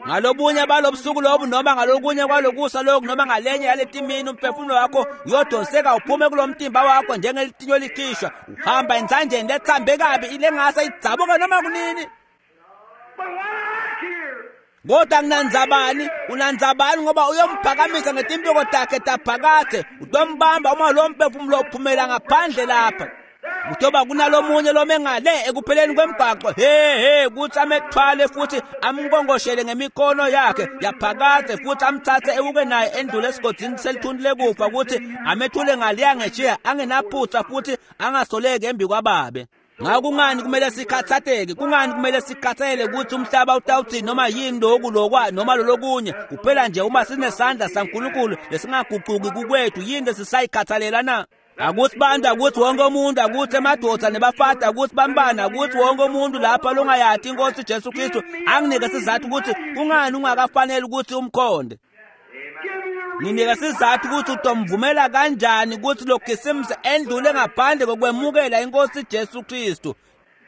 Ngalobunye balobusuku lobu noma ngalokunye kwalokusa lokhu noma ngalenye yaletimini, umphefumulo wakho uyodonseka uphume kulo mtimba wakho njengelitinyo likhishwa, uhamba entsanjeni lethambe kabi ilengase idzabuke noma kunini. Kodwa nginandzabani, unandzabani ngoba uyomphakamisa ngetimpiko takhe taphakadze, utombamba uma lo mphefumulo uphumela ngaphandle lapha. Kutoba kunalomunye lomengale ekupheleni kwemgwaqo, he he, kuthi amethwale futhi amnkongoshele ngemikhono yakhe yaphakadze futhi amthathe ewuke naye endlule esigodini selithuntu lekufa, ukuthi amethule ngaliya ngeshiya angenaphutha futhi angasoleki embi kwababe. Ngako kungani kumele sikhathatheke? Kungani kumele sikhathele ukuthi umhlaba utawuthini noma yini lokhu lokwa noma lolokunye? Kuphela nje uma sinesandla saNkulunkulu lesingaguquki kukwethu, yini lesisayikhathalela na? Akuthi bantu, akuthi wonke umuntu, akuthi emadoda nebafati, akuthi bambana, akuthi wonke umuntu lapha longayati inkosi Jesu Kristu anginike sizathu ukuthi kungani ungakafanele ukuthi umkhonde. Nginike sizathu ukuthi utomvumela kanjani ukuthi lokhisimusi endlule ngaphandle kokwemukela inkosi Jesu Kristu.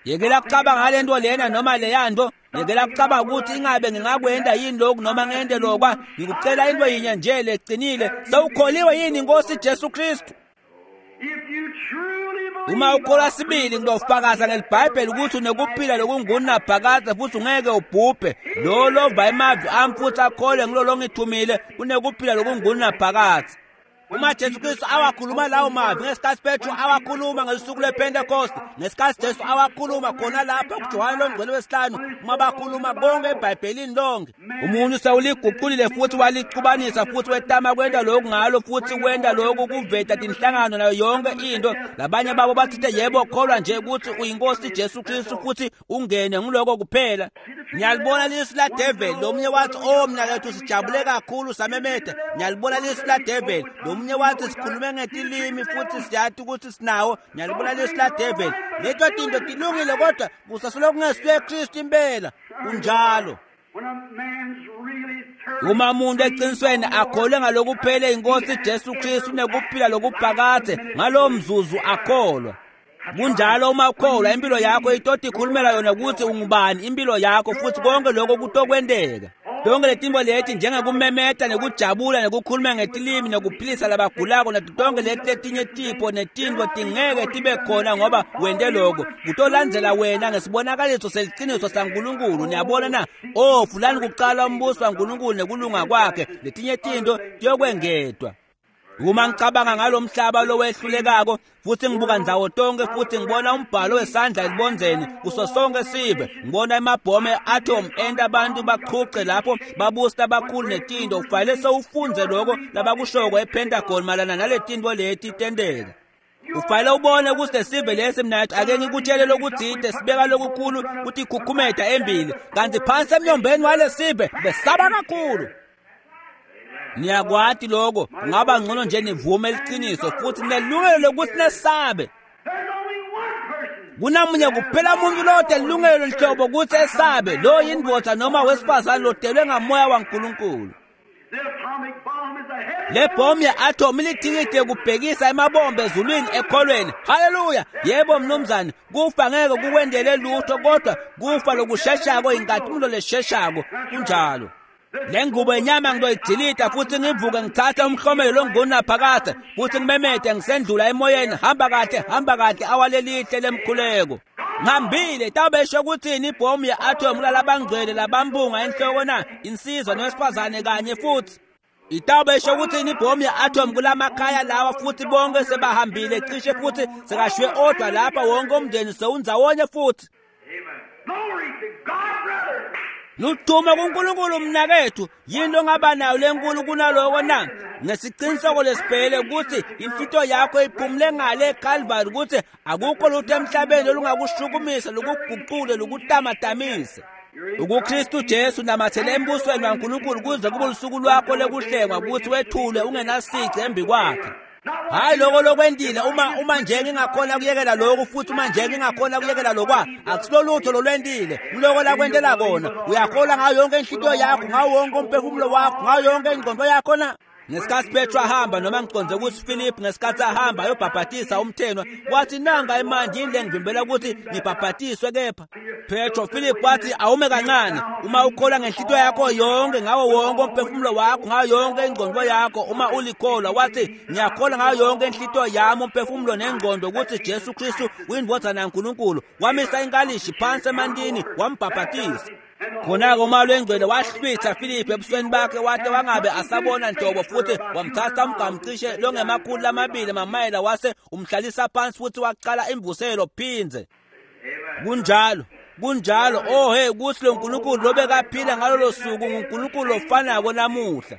Yekela kucabanga ngale nto lena noma leya nto, yekela kucabanga ukuthi ingabe ngingakwenda yini lokhu noma ngente lokwa. Ngikucela into yinye nje leqinile, sewukholiwe yini inkosi Jesu Kristu? Uma ukholwa sibili, ngizofakaza ngelibhayibheli ukuthi unekuphila lokungunaphakadze futhi ungeke ubhubhe. Lo lova emavi ami futhi akholwe ngilo longithumile unekuphila lokungunaphakadze. Uma Jesu Kristu awakhuluma lawo mavi ngesikhathi Petro awakhuluma ngesuku lwePentecost, ngesikhathi Jesu awakhuluma khona lapha kuJohane longcwele wesihlanu, uma bakhuluma konke eBhayibhelini lonke, umuntu sewuliguqulile futhi walixubanisa futhi wetama kwenta lokhu ngalo futhi wenta lokhu kuveta tinhlangano nayo yonke into. Labanye babo bathite yebo, kholwa nje ukuthi uyinkosi Jesu Kristu futhi ungene ngiloko kuphela. Ngiyalibona lisu la devil. Lomunye wathi, oh mina lethu sijabule kakhulu samemeda. Ngiyalibona lisu la devil. Lomunye wathi sikhulume ngetilimi futhi siyati ukuthi sinawo. Ngiyalibona lisu la devil. Leto tinto tilungile kodwa kusasoloko kungesiye Kristu impela. Kunjalo. Uma umuntu eqinisweni akholwe ngalokuphele inkosi Jesu Kristu nekuphila lokuphakadze, ngalowo mzuzu akholwa. Kunjalo uma ukholwa, impilo yakho itoti ikhulumela yona ukuthi ungubani, impilo yakho futhi konke lokho kutokwenteka. Tonke letinto leti njengekumemeta nekujabula nekukhuluma ngetilimi nekuphilisa labagulako nato tonke leti letinye tipho netinto tingeke tibe khona ngoba wente lokho. Kutolandzela wena ngesibonakaliso seliciniso saNkulunkulu. Niyabona na? Oh, fulani kuqala umbuso waNkulunkulu nekulunga kwakhe, letinye tinto tiyokwengedwa. Uma ngicabanga ngalomhlaba lowehlulekako futhi ngibuka ndzawo tonke futhi ngibona umbhalo wesandla elibondzeni kuso sonke sive, ngibona emabhomu e-atom enta abantu baqhuqe lapho babusi labakhulu netinto, ufanele sewufundze lokho labakushoko ePentagon malana naletinto leti tenteka. Ufanele ubone ukuthi lesive lesi mna ake ngikutshele lokuthide sibeka lokukhulu ukuthi ikhukhumeda embili, kanti phansi emnyombeni walesive besaba kakhulu. Niyakwati lokho, kungaba ngcono nje nivume eliciniso futhi nelungelo lokuthi nesabe. Kunamunye kuphela umuntu lode lilungelo lihlobo ukuthi esabe, lo yindvodza noma wesifazane lodelwe ngamoya waNkulunkulu. Le bhomu ye-atom ilithikithi yokubhekisa emabombe ezulwini ekholweni. Haleluya! Yebo mnumzane, kufa ngeke kukwendele lutho kodwa kufa lokusheshako inkatimlo lesheshako. Kunjalo. Le ngubo yenyama ngizoyidilita futhi ngivuke ngithathe umhlomelo longunaphakade futhi ngimemete ngisendlula emoyeni, hamba kahle, hamba kahle, awalelihle lemkhuleko. Ngihambile tawubesho ukuthini ibhomu ye-atom kulalabangcwele labambunga enhloko na insizwa nowesifazane kanye futhi. Itawubesho ukuthini ibhomu ye-atom kulamakhaya lawa futhi bonke sebahambile cishe futhi sekashwe odwa lapha wonke umndeni sewundzawonye futhi. Ludumo kuNkulunkulu mnakethu, yini ongaba nayo lenkulu kunaloko na? Nesiqiniseko lesibhele ukuthi inhlito yakho iphumule ngale eCalvary, ukuthi akukho lutho emhlabeni olungakushukumisa lukuguqule lukutamatmise. UkuKristu Jesu namathele embusweni waNkulunkulu kuze kube lusuku lwakho lokuhlengwa, ukuthi wethulwe ungenasici embi kwakhe. Hayi lokho lokwendile, uma uma nje ngingakhona kuyekela lokhu futhi uma nje ngingakhona kuyekela lokwa, akusilo lutho lolwendile, ngiloko lakwentela kona. Uyakholwa ngayo yonke inhlitiyo yakho, ngawo wonke umphefumulo wakho, ngayo yonke ingqondo yakho na? Ngesikhathi Petro ahamba, noma ngiconze ukuthi Philip ngesikhathi ahamba ayobhabhatisa umthenwa, wathi nanga imanje yini lengivimbela ukuthi ngibhabhatiswe kepha? Petro Philip wathi awume kancane, uma ukholwa ngenhlitiyo yakho yonke, ngawo wonke umphefumulo wakho, ngayo yonke ingqondo yakho, uma ulikholwa, wathi ngiyakholwa ngayo yonke inhlitiyo yami, umphefumulo nengqondo ukuthi Jesu Kristu uyindvodzana yaNkulunkulu. Wamisa inkalishi phansi emantini wambhabhatisa. Khona-ke uMoya Oyingcwele wahlwitha Philip ebusweni bakhe wade wangabe asabona nhlobo, futhi wamthatha umgamcishe longemakhulu lamabili mamayela wase umhlalisa phansi futhi waqala imvuselo phindze. Kunjalo, kunjalo. Oh hey, kuthi lo Nkulunkulu lobekaphila ngalolo suku nguNkulunkulu ofanako namuhla.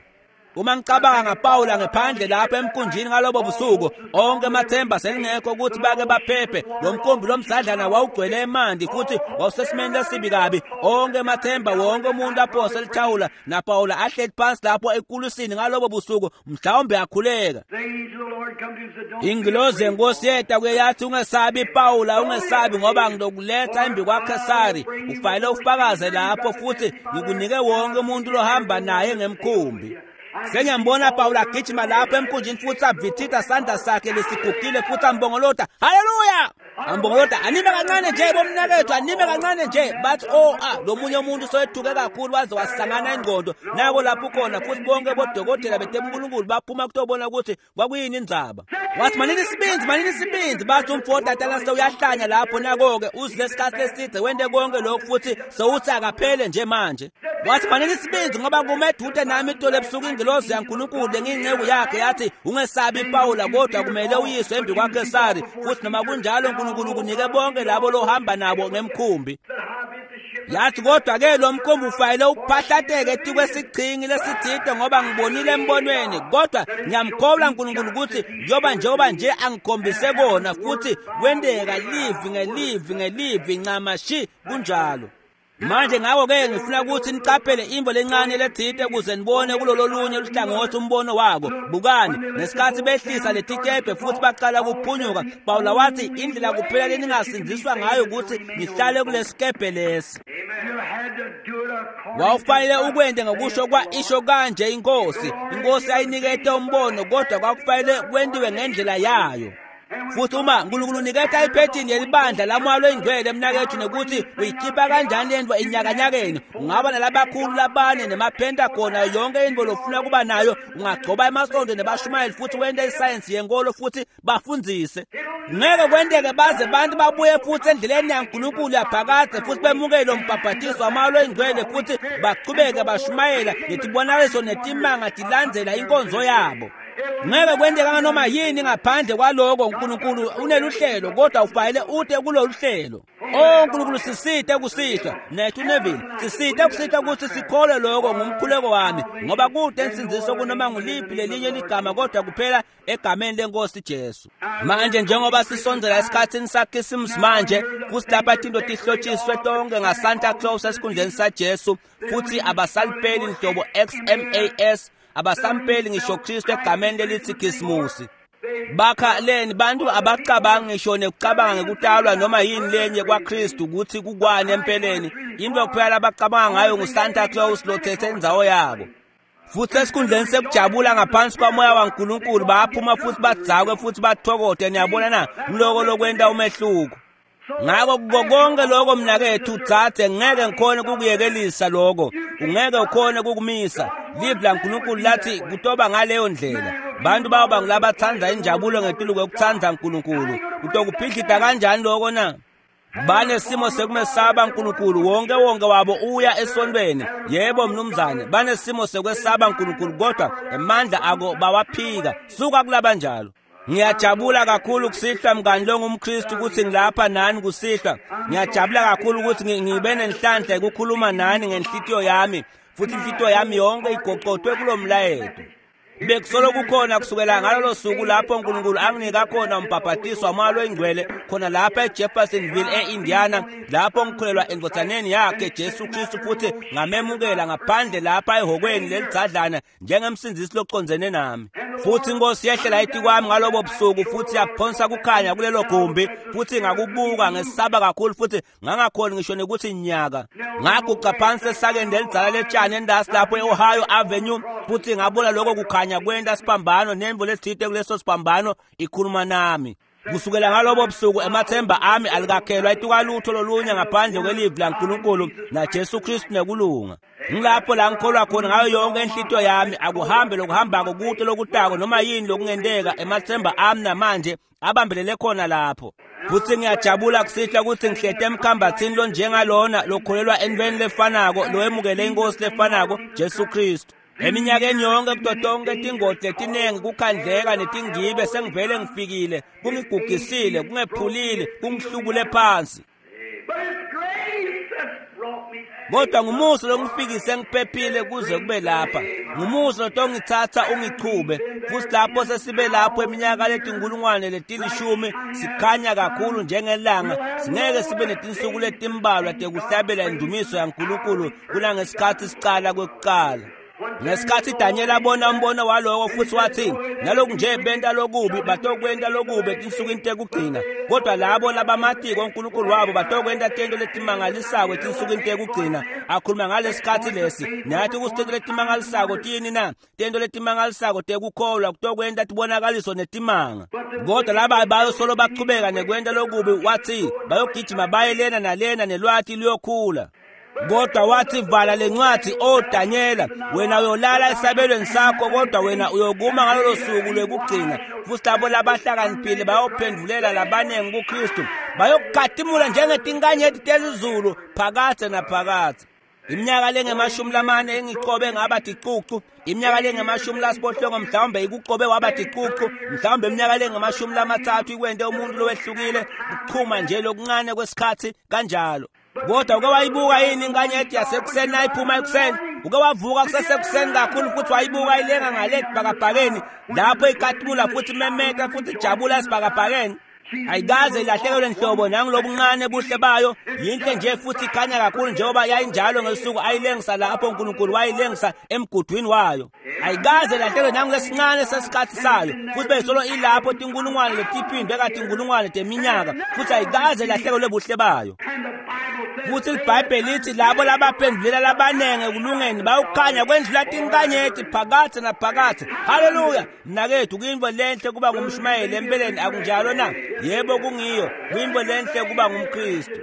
Uma ngicabanga ngaPawula ngephandle lapha emkhunjini ngalobo busuku, onke amathemba selingekho ukuthi bake baphephe. Lo mkhumbi lomsadlana wawugcwele emanti futhi wawusesimeni lesibi kabi. Onke amathemba, wonke umuntu aphose elithawula, naPawula ahleli phansi lapho ekulusini ngalobo busuku, mhlawumbe akhuleka. Ingilozi yenkosi yeta kuye yathi, ungesabi Pawula, ungesabi, ngoba ngizokuletha embi kwaKhesari, ufanele ufakaze lapho futhi ngikunike wonke umuntu lohamba naye ngemkhumbi. Sengiyambona Pawula agijima lapho emkhunjini futhi avithitha sandla sakhe lesigugile futhi ambongolota, haleluya! Ambongolota, anime kancane nje bomnakethu, anime kancane nje. Bathi oh ah, lo munye umuntu soyethuke kakhulu waze wasangana ingqondo. Nako lapho khona futhi bonke bodokotela betebunkulunkulu baphuma kutobona ukuthi kwakuyini indzaba. Wathi manini isibindi, manini isibindi. Bathi umfo tatana sewuyahlanya lapho, nako-ke uzile isikhathi leside wente konke lokhu futhi sewuthi akaphele nje manje. Wathi manini isibindi, ngoba kume edude nami itolo ebusuku ingilozi yaNkulunkulu lengiyinceku yakhe yathi ungesabi Pawula, kodwa kumele uyiswe embi kwaKhesari, futhi noma kunjalo uNkulunkulu kunike bonke labo lohamba nabo ngemkhumbi. Yathi kodwa ke lo mkhumbi ufanele uphahlateke etikwesigchingi lesithide, ngoba ngibonile embonweni, kodwa ngiyamkholwa uNkulunkulu ukuthi njengoba njengoba nje angikhombise kona futhi kwenteka livi ngelivi ngelivi ncamashi kunjalo. Manje ngakho-ke ngifuna ukuthi niqaphele imvo lencane lethide ukuze nibone kulolo lunye luhlangothi umbono wako. Bukani, ngesikhathi behlisa letikebhe futhi baqala ukuphunyuka, Pawula wathi indlela kuphela leningasindziswa ngayo ukuthi nihlale kulesikebhe lesi. Wawufanele ukwente ngokusho kwa isho kanje inkosi. Inkosi ayinikete umbono, kodwa kwakufanele kwentiwe ngendlela yayo. Futhi uma uNkulunkulu uniketa iphethini yelibandla laMoya Oyingcwele mnakethu, nekuthi uyikhipha kanjani lento enyakanyakeni, ungaba nalabakhulu labane nemaPentagon nayo yonke into lofuna kuba nayo, ungagcoba emasonto nebashumayeli futhi wente isayensi yenkolo futhi bafundzise. Ngeke kwenteke baze bantu babuye futhi endleleni yaNkulunkulu yaphakade futhi bemukele umbhabhatiso waMoya Oyingcwele futhi bachubeke bashumayela netibonakaliso netimanga tilandzela inkonzo yabo. Ngeke kwenteka noma yini ngaphandle kwaloko. uNkulunkulu uneluhlelo, kodwa ufanele ute kulolu hlelo. Oh uNkulunkulu sisite kusihlwa nethu Neville, sisite kusihlwa ukuthi sikholwe lokho ngumkhuleko wami, ngoba kude insindziso kunoma nguliphi lelinye ligama kodwa kuphela egameni lenkosi Jesu. Manje njengoba sisondzela esikhathini saKhisimusi manje, futhi lapha tinto tihlotshiswe tonke ngaSanta Claus esikhundleni saJesu, futhi abasalipeli nhlobo X M A S, abasampeli ngisho Kristu egameni lelithi Khisimusi. Bakha leni bantu abacabanga ngisho nekucabanga ngekutalwa noma yini lenye kwaKristu ukuthi kukwane empeleni. Into kuphela abacabanga ngayo nguSanta Claus lothethe indzawo yabo. Futhi esikhundleni sekujabula ngaphansi kwamoya waNkulunkulu bayaphuma futhi badzakwe futhi bathokote. Niyabona na, ngiloko lokwenta umehluko. Ngako konke lokho mnakethu dzadze, ngeke ngikhone kukuyekelisa lokho, ungeke ukhone kukumisa. Livi laNkulunkulu lathi kutoba ngaleyo ndlela. Bantu bayoba ngulabatsandza injabulo ngetulu kwekutsandza Nkulunkulu. Utokuphihlita kanjani lokho na? Banesimo sekumesaba Nkulunkulu, wonke wonke wabo uya esontweni. Yebo mnumzane, banesimo sekwesaba Nkulunkulu, kodwa emandla ako bawaphika. Suka kulabanjalo. Ngiyajabula kakhulu kusihlwa mngani longumKristu ukuthi ngilapha nani kusihlwa. Ngiyajabula kakhulu ukuthi ngibe nenhlanhla ukukhuluma nani ngenhlitiyo yami, futhi inhlitiyo yami yonke igoqotwe kulomlayeto. Bekusolo kukhona kusukela ngalolo suku lapho uNkulunkulu anginika khona umbhabhatiso waMoya loyiNgcwele khona lapha eJeffersonville e-Indiana, lapho ngikholelwa endvodzaneni yakhe Jesu Kristu futhi ngamemukela ngaphandle lapha ehhokweni lelidzadlana njengemsindzisi locondzene nami. Futhi inkosi yehlela etikwami ngalobo busuku futhi yaphonsa kukhanya kulelo gumbi, futhi ngakubuka ngesaba kakhulu futhi ngangakhoni ngisho nekuthi nyaka. Ngaguqa phansi esakeni lelidzala letshani endasi lapho e-Ohio Avenue, futhi ngabona lokho kukhanya kwenta siphambano nemvo letsite kuleso siphambano ikhuluma nami. Kusukela ngalobo busuku emathemba ami alikakhelwa etukalutho lolunye ngaphandle kwelivi laNkulunkulu naJesu Kristu nekulunga. Ngilapho la ngikholwa khona ngayo yonke inhlitiyo yami. Akuhambe lokuhambako kude lokutako noma yini lokungenteka, emathemba ami namanje abambelele khona lapho. Futhi ngiyajabula kusihlwa ukuthi ngihlete emkhambathini lonjengalona lokholelwa entweni lefanako, loyemukele inkosi lefanako Jesu Kristu. Eminyakeni yonke kuto tonke tingoti letinengi kukhandleka netingibe sengivele ngifikile, kungigugisile, kungephulile, kungihlubule phansi. Kodwa ngumusa longifikise ngiphephile kuze kube lapha. Ngumusa lotongitsatsa ungichube. Futhi lapho sesibe lapho eminyaka letinkulungwane letilishumi sikhanya kakhulu njengelanga, singeke sibe netinsuku letimbalwa tekuhlabela indumiso yaNkulunkulu kunangesikhathi sicala kwekucala. Ngesikhathi Daniel abona umbono waloko futhi wathi, naloku nje benta lokubi batokwenta lokubi etinsukwini tekugcina, kodwa labo labamatiko uNkulunkulu wabo batokwenta tento letimangalisako etinsukwini tekugcina. Akhuluma ngalesikhathi lesi, nathi kusitento letimangalisako tini na? Tento letimangalisako tekukholwa kutokwenta tibonakaliso netimanga. Kodwa laba bayosolo bachubeka nekwenta lokubi, wathi bayogijima baye lena nalena nelwati luyokhula. Kodwa wathi, vala lencwadi, o Daniela, wena uyolala esabelweni sakho, kodwa wena uyokuma ngalolo suku lwekugcina. Futhi labo labahlakaniphile bayophendulela labanengi kuKristu, bayokukhatimula njengetinkanyeti telizulu phakadze naphakadze. Iminyaka lengemashumi lamane engicobe ngaba ticucu, iminyaka lengemashumi lasiphohlongo mhlawumbe ikucobe waba ticucu, mhlawumbe iminyaka lengemashumi lamatsatfu ikwente umuntu lowehlukile, kuchuma nje lokuncane kwesikhathi kanjalo. Kodwa uke wayibuka yini inkanyeti yasekuseni nayiphuma ekuseni? Uke wavuka kusesekuseni kakhulu futhi wayibuka ilenga ngale esibhakabhakeni lapho ikhatimula futhi imemeta futhi ijabula esibhakabhakeni? Ayikaze ilahlekelwe nhlobo nangilobuncane buhle bayo. Yinhle nje futhi ikhanya kakhulu njengoba yayinjalo ngesuku ayilengisa lapho uNkulunkulu wayilengisa emgudwini wayo. Ayikaze ilahlekelwe nangilesincane sesikhathi sayo, futhi beyisolo ilapho tinkulungwane letiphindwe katinkulungwane teminyaka, futhi ayikaze ilahlekelwe buhle bayo. Futhi iBhayibheli lithi labo labaphendulela labanenge ekulungeni bayukhanya kwendlula tinkanyeti phakadze naphakadze. Haleluya! Mnakethu, kuyintfo lenhle kuba ngumshumayeli empeleni, akunjalo na? Yebo kungiyo, kuyintfo lenhle kuba ngumKristu.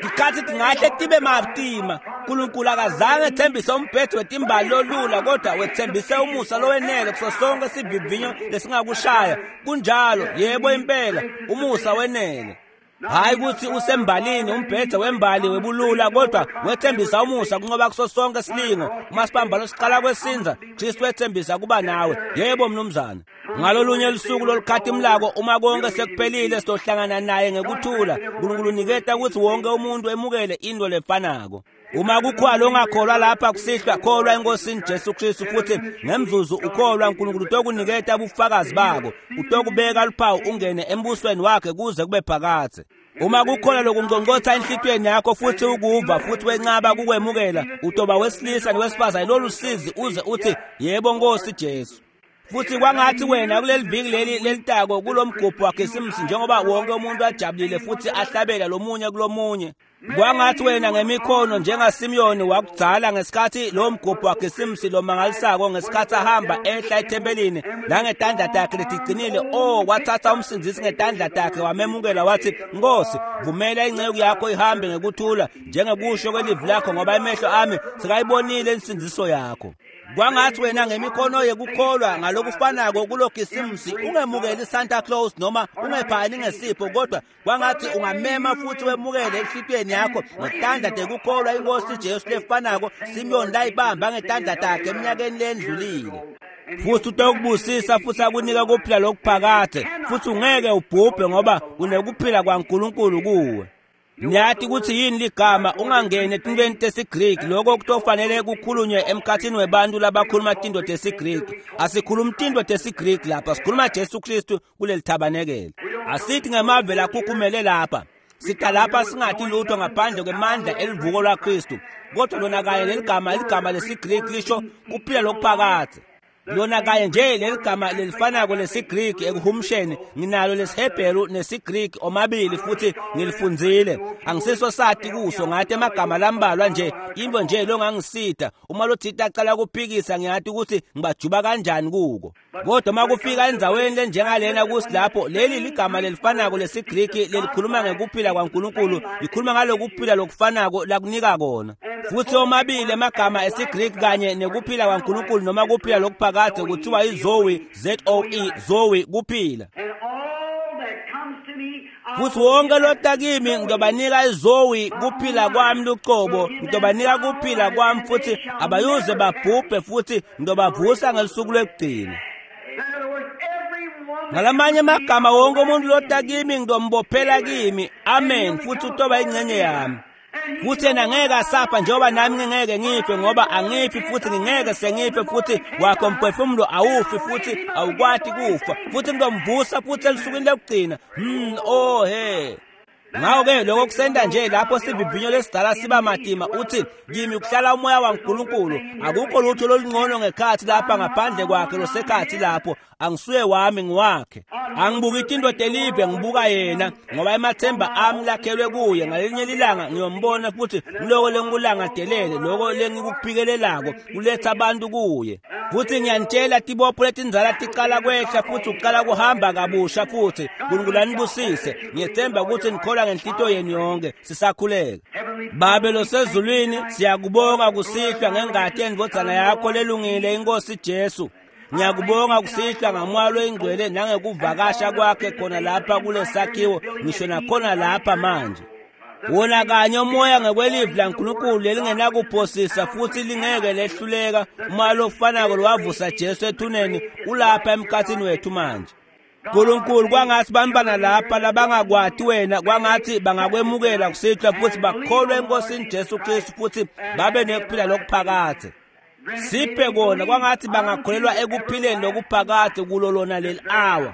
Tikhathi tingahle tibe matima. uNkulunkulu akazange ethembise umbhede wetimbali lolula, kodwa wethembise umusa lowenele kuso sonke sivivinyo lesingakushaya. Kunjalo, yebo impela, umusa wenele. Hayi ukuthi usembalini umbhede wembali webulula, kodwa wethembisa umusa kunqoba kuso sonke silingo. Uma siphambano siqala kwesinza, Kristu wethembisa kuba nawe. Yebo mnumzane. Ngalolunye lusuku lolukhatimlako, uma konke sekuphelile, sizohlangana naye ngekuthula. uNkulunkulu uniketa ukuthi wonke umuntu emukele into lefanako. Uma kukhwala ongakholwa lapha kusihlwa, kholwa enkosini Jesu Kristu, futhi ngemzuzu ukholwa uNkulunkulu utokuniketa ubufakazi bako, utokubeka luphawu ungene embusweni wakhe kuze kube phakadze. Uma kukhona lokungqongqotha enhlitiyweni yakho futhi ukuva futhi wenqaba kukwemukela, utoba wesilisa nowesifazane lolu sizi uze uthi, yebo Nkosi Jesu. Futhi kwangathi wena kuleli viki leli lelitako kulomgubho waKhisimusi, njengoba wonke umuntu ajabulile futhi ahlabela lomunye kulomunye, kwangathi wena ngemikhono njengaSimiyoni wakudzala ngesikhathi lo mgubho waKhisimusi lomangalisako, ngesikhathi ahamba ehla ethempelini nangetandla takhe letigcinile, oh wathatha umsindzisi ngetandla takhe wamemukela, wathi, Nkosi, vumela inceku yakho ihambe ngekuthula njengekusho kwelivi lakho, ngoba emehlo ami sekayibonile insindziso yakho. Kwangathi wena ngemikhono yekukholwa ngalokufanako kuloKhisimusi ungemukeli Santa Claus noma ungephani ngesipho, kodwa kwangathi ungamema futhi wemukele enhlitiyweni yakho ngetandla tekukholwa inkosi Jesu lefanako Simiyoni layibamba ngetandla takhe eminyakeni lendlulile. Futhi utokubusisa futhi akunika kuphila lokuphakade, futhi ungeke ubhubhe ngoba unekuphila kwaNkulunkulu kuwe. Niyathi ukuthi yini ligama ungangeni etintweni tesiGriki, lokho kutofanele kukhulunywe emkhathini webantu labakhuluma tinto tesiGriki. Asikhulumi tinto tesiGriki lapha, sikhuluma Jesu Kristu kuleli thabanekele. Asithi ngemave lakhukhumele lapha, sita lapha singathi lutho ngaphandle kwemandla elivuko lwaKristu, kodwa lona kanye leligama, ligama lesiGriki lisho kuphila lokuphakade. Lona kanye nje leligama lelifanako lesiGriki ekuhumsheni, nginalo lesiHebheru nesiGriki omabili futhi ngilifundzile. Angisiso sati kuso, ngathi emagama lambalwa nje, into nje longangisita uma lothita aqala kuphikisa, ngiyathi ukuthi ngibajuba kanjani kuko. Kodwa uma kufika endzaweni lenjengalena kusilapho leli ligama lelifanako lesiGriki lelikhuluma ngekuphila kwaNkulunkulu, likhuluma ngalokuphila lokufanako lakunika kona. Futhi omabili emagama esiGriki kanye nekuphila kwaNkulunkulu noma kuphila lokuphakade kuthiwa iZoe, Z O E, Zoe, kuphila. Futhi wonke lota kimi ngizobanika iZoe, kuphila kwami luqobo, ngizobanika kuphila kwami futhi abayuze babhubhe, futhi ngizobavusa ngesuku lokugcina. Ngalamanye amagama, wonke umuntu lota kimi ngizombophela kimi, amen, futhi utoba ingxenye yami. Futhi yena ngeke asapha njengoba nami ngingeke ngife, ngoba angifi futhi ngingeke sengife, futhi wakho mphefumulo awufi futhi awukwati kufa, futhi ngizomvusa futhi elusukwini lokugcina. Hmm, oh he. Ngakho-ke lokho kusenda nje lapho sivivinyo lesidala siba matima, uthi kimi kuhlala umoya waNkulunkulu, akukho lutho lolungcono ngekhathi lapha ngaphandle kwakhe losekhathi lapho, angisuye wami ngiwakhe. Angibuki indoda elive, ngibuka yena, ngoba emathemba ami lakhelwe kuye. Ngalinye ilanga ngiyombona futhi ngiloko lengikulangadelele, lokho lengikuphikelelako kuletha abantu kuye. Futhi ngiyanitshela, tibopho letindzala tiqala kwehla futhi uqala kuhamba kabusha futhi. Nkulunkulu anibusise. Ngiyethemba ukuthi nikholwa ngenhlitiyo yenu yonke. Sisakhuleka. Babe losezulwini, siyakubonga kusihlwa ngengati yendvodzana yakho lelungile inkosi Jesu. Ngiyakubonga kusihlwa ngamoya loyingcwele nangekuvakasha kwakhe khona lapha kulesakhiwo, ngisho nakhona lapha manje. Wona kanye umoya ngekwelivi laNkulunkulu lelingenakuphosisa futhi lingeke lehluleka, umoya lofanako lowavusa Jesu ethuneni ulapha emkhathini wethu manje. Nkulunkulu, kwangathi bantwana lapha labangakwati wena, kwangathi bangakwemukela kusihlwa futhi bakholwe eNkosini Jesu Kristu futhi babe nekuphila lokuphakade. Siphe kona, kwangathi bangakholelwa ekuphileni lokuphakade kulo lona leli awa.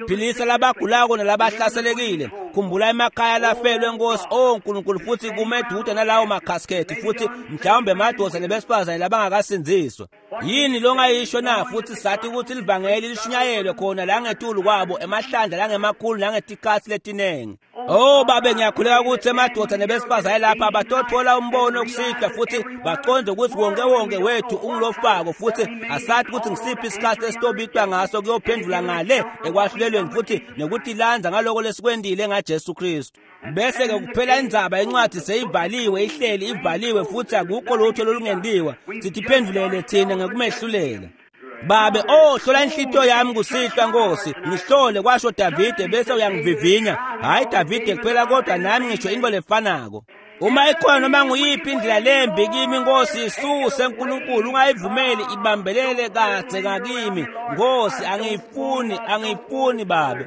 Philisa labagulako nalabahlaselekile. Khumbula emakhaya lafelwe Nkosi, oh Nkulunkulu, futhi kumedude nalawo makhaskethi futhi mhlawumbe emadoda nebesifazane labangakasindziswa. Yini longayisho na? Futhi sathi ukuthi livangeli lishunyayelwe khona la ngetulu kwabo emahlandla langemakhulu nangetikhatsi letinengi. Oh babe, ngiyakhuleka ukuthi emadoda nebesifazane lapha batothola umbono kusihlwa futhi baconde ukuthi wonke wonke wethu ungulofako, futhi asathi ukuthi ngisiphi isikhathi esitobitwa ngaso kuyophendula ngale ekwahlulelweni futhi nekuthi lanza ngaloko lesikwendile ngaJesu Kristu. Bese ke kuphela indzaba, incwadi seyivaliwe, ihleli ivaliwe futhi akukho lutho lolungentiwa. Sithi phendulele thina ngekumehlulela. Babe, oh hlola inhlitiyo yami kusihlwa Nkosi, ngihlole, kwasho Davide, bese uyangivivinya. Hayi Davide kuphela kodwa nami ngisho into lefanako. Uma ikhona noma nguyiphi indlela lembi kimi Nkosi, isuse Nkulunkulu, ungayivumeli ibambelele kadze ngakimi Nkosi. Angiyifuni, angiyifuni Babe.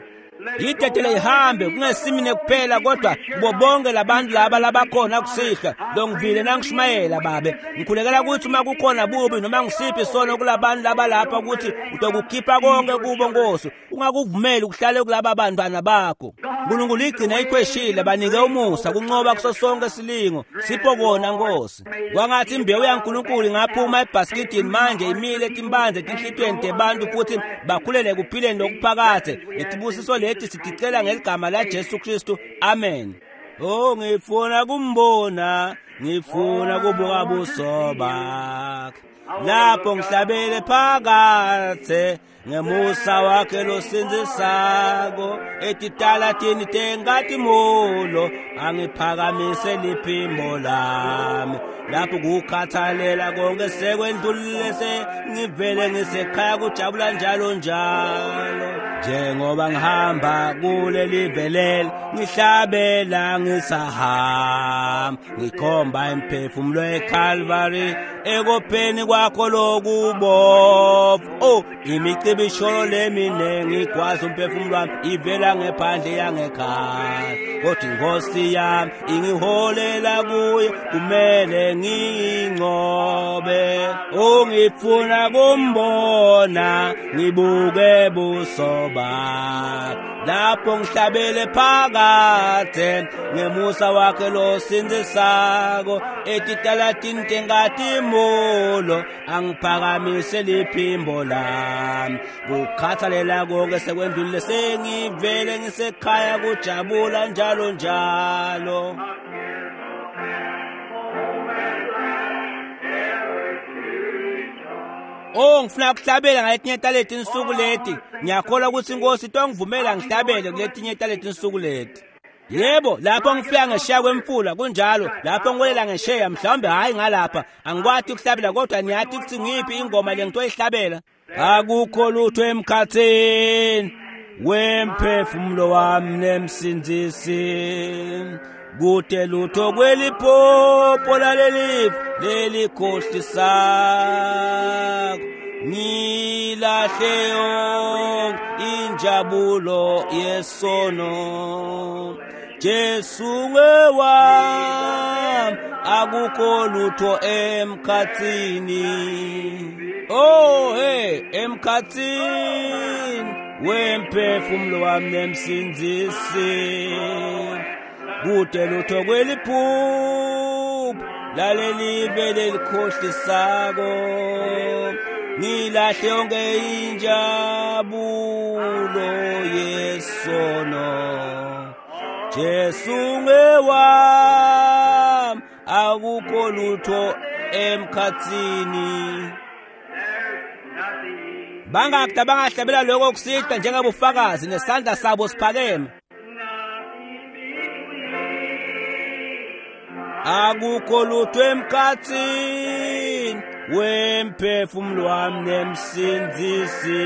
Yidedele ihambe, kungesimine kuphela kodwa kubo bonke labantu laba labakhona kusihlwa longivile nangishumayela Babe. Ngikhulekela ukuthi uma kukhona bubi noma ngisiphi isono kulabantu labalapha ukuthi utokukhipha konke kubo Nkosi. Ungakuvumeli kuhlale kulaba bantwana bakho. Nkulunkulu igcine ikhweshile, banike umusa kunqoba kuso sonke silingo. Sipho kona Nkosi. Kwangathi imbewu yaNkulunkulu ingaphuma ebhaskidini manje imile timphandze etinhlitiyweni tebantu futhi bakhulele ekuphileni lokuphakadze. Letibusiso leti siticela ngeligama laJesu Kristu. Amen. Oh, ngifuna kumbona, ngifuna kubuka buso bakhe. Lapho ngihlabele phakathe ngemusa wakhe losindzisako etitalatini tenkatimolo angiphakamise liphimbo lami. Lapho kukhathalela konke sekwendlulile sengivele ngisekhaya kujabula njalo njalo. Njengoba ngihamba kuleli velele ngihlabela ngisahamba ngikhomba imphefumulo eCalvary ekopheni kwakho lokubovu. Oh, imicibisholo leminingi igwaza umphefumulo wami ivela ngephandle yangekhaya, kodwa inkosi yami ingiholela kuyo kumele ngiyinqobe. Oh, ngifuna kumbona ngibuke buso bakhe lapho ngihlabele phakathe ngemusa wakhe losindzisako etitalatini tenkatimolo angiphakamise liphimbo lami. Kukhathalela konke sekwendlulile sengivele ngisekhaya kujabula njalo njalo. Oh, ngifuna ukuhlabela ngaletinye taleti insuku leti. Ngiyakholwa ukuthi inkosi itongivumela ngihlabele kuletinye taleti insuku leti. Yebo, lapho ngifika ngesheya kwemfula kunjalo, lapho ngiwelela ngesheya mhlawumbe hayi ngalapha. Angikwati ukuhlabela kodwa niyathi ukuthi ngiphi ingoma le ngitoyihlabela. Akukho lutho emkhathini wemphefumulo wami nemsindzisi. Kude lutho kweliphupho lalelifu lelikhohlisako. Ngilahle yonke injabulo yesono. Jesu ngewami, akukho lutho emkhathini. Oh, hey, emkhathini wemphefumulo wami nemsindzisi. Kude lutho kweliphupho lalelive lelikhohlisako. Ngilahle yonke injabulo yesono. Jesu ngewami, akukho lutho emkhathini. Bangaki abangahlabela lokho kusitha njengabufakazi nesandla sabo siphakeme. Akukho lutho emkhathini wemphefumulo wami nemsindzisi.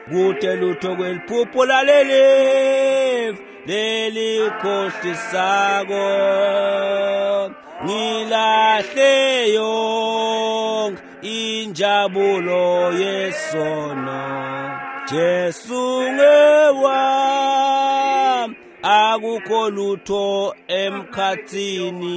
Kude lutho kweliphupho lalelifu lelikhohlisako. Ngilahle yonke injabulo yesono. Jesu ngewami, akukho lutho emkhathini.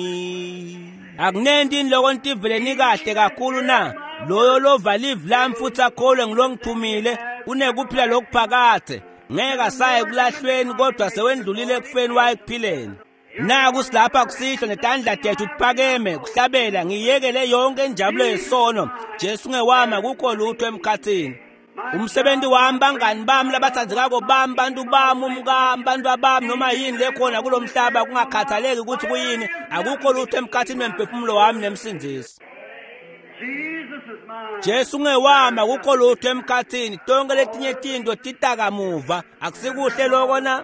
Akunenti loko ntivele nikahle kakhulu na loyo lova live lami futhi akholwe ngilongithumile unekuphila lokuphakathe. Ngeke asaye kulahlweni kodwa sewendlulile ekufeni waye ekuphileni. Naku silapha kusihlwa netandla tethu tiphakeme kuhlabela ngiyekele yonke injabulo yesono. Jesu ngewami, akukho lutho emkhathini. Umsebenzi wami, bangani bami, labathandzekako bami, bantu bami, umkami, bantu bami, noma yini lekhona kulo mhlaba kungakhathaleki ukuthi kuyini, akukho lutho emkhathini wemphefumulo wami nemsindzisi. Jesu ngewami, akukho lutho emkhathini. Tonke letinye tinto titakamuva. Akusikuhle lokho na?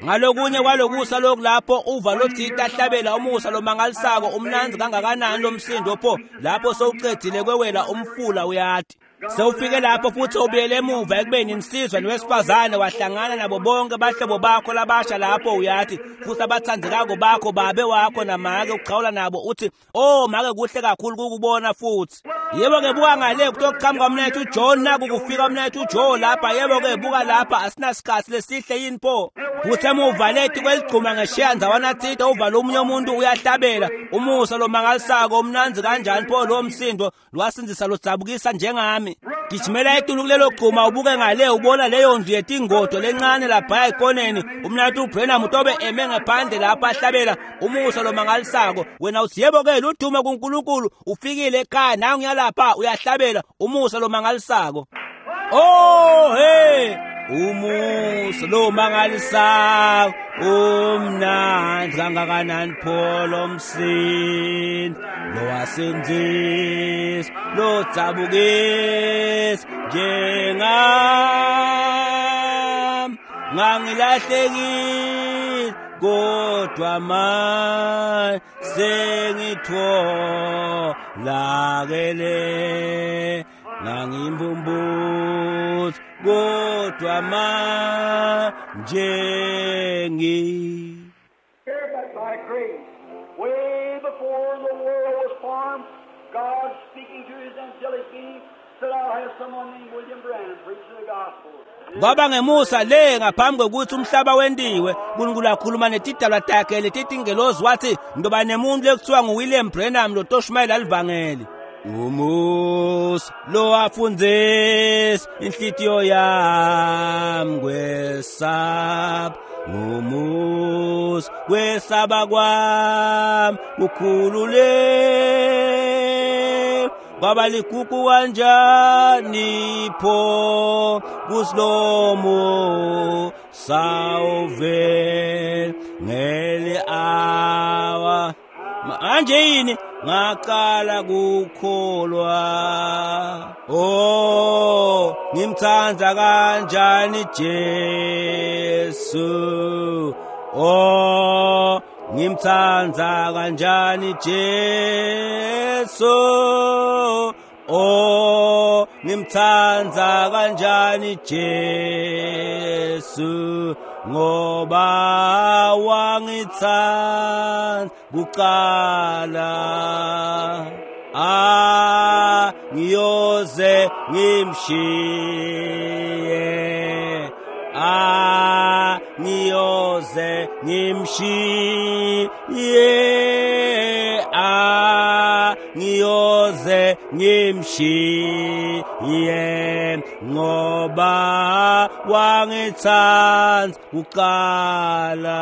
Ngalokunye kwalokusa lokhu lapho uva lothita ahlabela umusa lomangalisako umnandzi kangakanani lomsindo pho lapho sowucedzile kwewela umfula uyati. Sewufike lapho futhi ubuyele emuva ekubeni insizwa nowesifazane wahlangana nabo bonke bahlobo bakho labasha lapho uyathi futhi abathandzekako bakho babe wakho namake uchawula nabo uthi oh make kuhle kakhulu kukubona futhi. Yebo-ke buka ngale kutoqhamuka mnethu John, naku kufika mnethu Joe lapha. Yebo-ke buka lapha, asinasikhathi lesihle yini pho? Futhi emuva lethi kweligcuma ngeshiya ndzawana tsite uvala omunye umuntu uyahlabela umusa lomangalisako umnandzi kanjani pho lo msindo lwasindzisa lodzabukisa njengami. Gijimela etulu kulelo gcuma ubuke ngale ubona leyo ndlu yetingodo lencane laphaya ekoneni. Umnathu uBrenham utobe eme ngaphandle lapha ahlabela umusa lomangalisako. Wena uthi yebo-ke ludumo kuNkulunkulu, ufikile ekhaya nangu uyalapha uyahlabela umusa lomangalisako. Oh hey, umusa lomangalisako umnandzi kangakanani pho lo msindo lowasindzisa lodzabukisa njengami. Ngangilahlekile kodwa manje sengitholakele, ngangimbumbutsi kodwa manje ngi. But by grace, way before the world was formed, God speaking to his angelic being said, I'll have someone named William Branham preach the gospel. Kwaba ngemusa le ngaphambi kokuthi umhlaba wendiwe, uNkulunkulu akhuluma netidalwa takhe letitingelozi wathi ndoba nemuntu lekuthiwa nguWilliam Branham lotoshumayela livangeli. Umusa lo afundzisa inhlitiyo yami kwesaba, ngumusa kwesaba kwami kukhulule kwaba ligugu kanjani pho kusilomo sawuvela ngeli awa. Manje yini ngaqala kukholwa. Oh, ngimthanda kanjani Jesu, oh ngimthanda kanjani Jesu, oh ngimthanda kanjani Jesu, ngoba wangithanda kuqala. Ah, ngiyoze ngimshiye, ah ngiyoze ngimshiye, ah ngiyoze ngimshiye, ngoba wangithanda kuqala.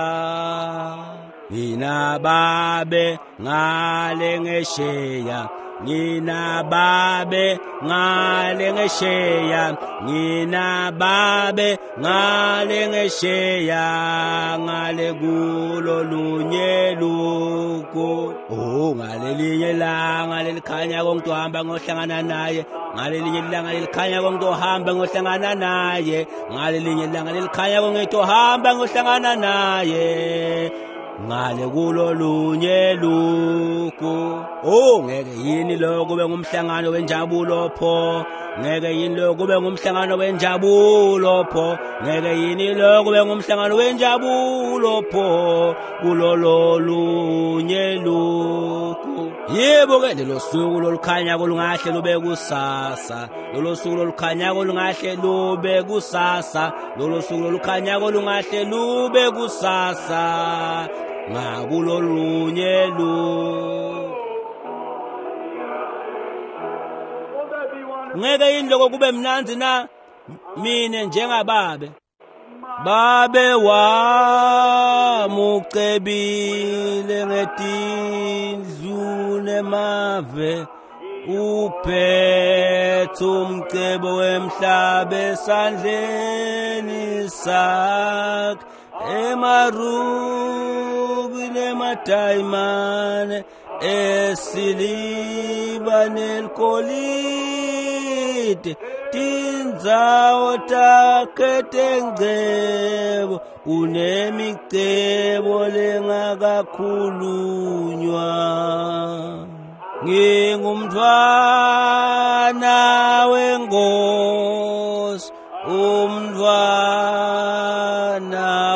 Ngina babe ngale ngesheya, ngina babe ngale ngesheya, ngina babe ngale ngesheya, ngale kulo lunye luko. Oh, ngalelinye ilanga lelikhanya konke ngohlangana naye, ngalelinye ilanga lelikhanya konke ohamba ngohlangana naye, ngalelinye ilanga lelikhanya konke ohamba ngohlangana naye, ngale kulo lunye luko. Oh, ngeke yini lo kube ngumhlangano wenjabulo pho, ngeke yini lo kube ngumhlangano wenjabulo pho, ngeke yini lo kube ngumhlangano wenjabulo pho kulo lolunye luko. Yebo ke lelo suku lolukhanya kolungahle lube kusasa, lolo suku lolukhanya kolungahle lube kusasa, lolo suku lolukhanya kolungahle lube kusasa, ngakulolunye luko. Ngeke yini lokho kube mnandzi na mine njengababe? Babe wami ucebile ngetindlu nemave, uphethe umcebo wemhlaba esandleni sakhe, emarubi nemadayimane esiliva neligolide, tindzawo takhe tengcebo unemicebo lengakakhulunywa. Ngingumntfwana wenkosi, umntfwana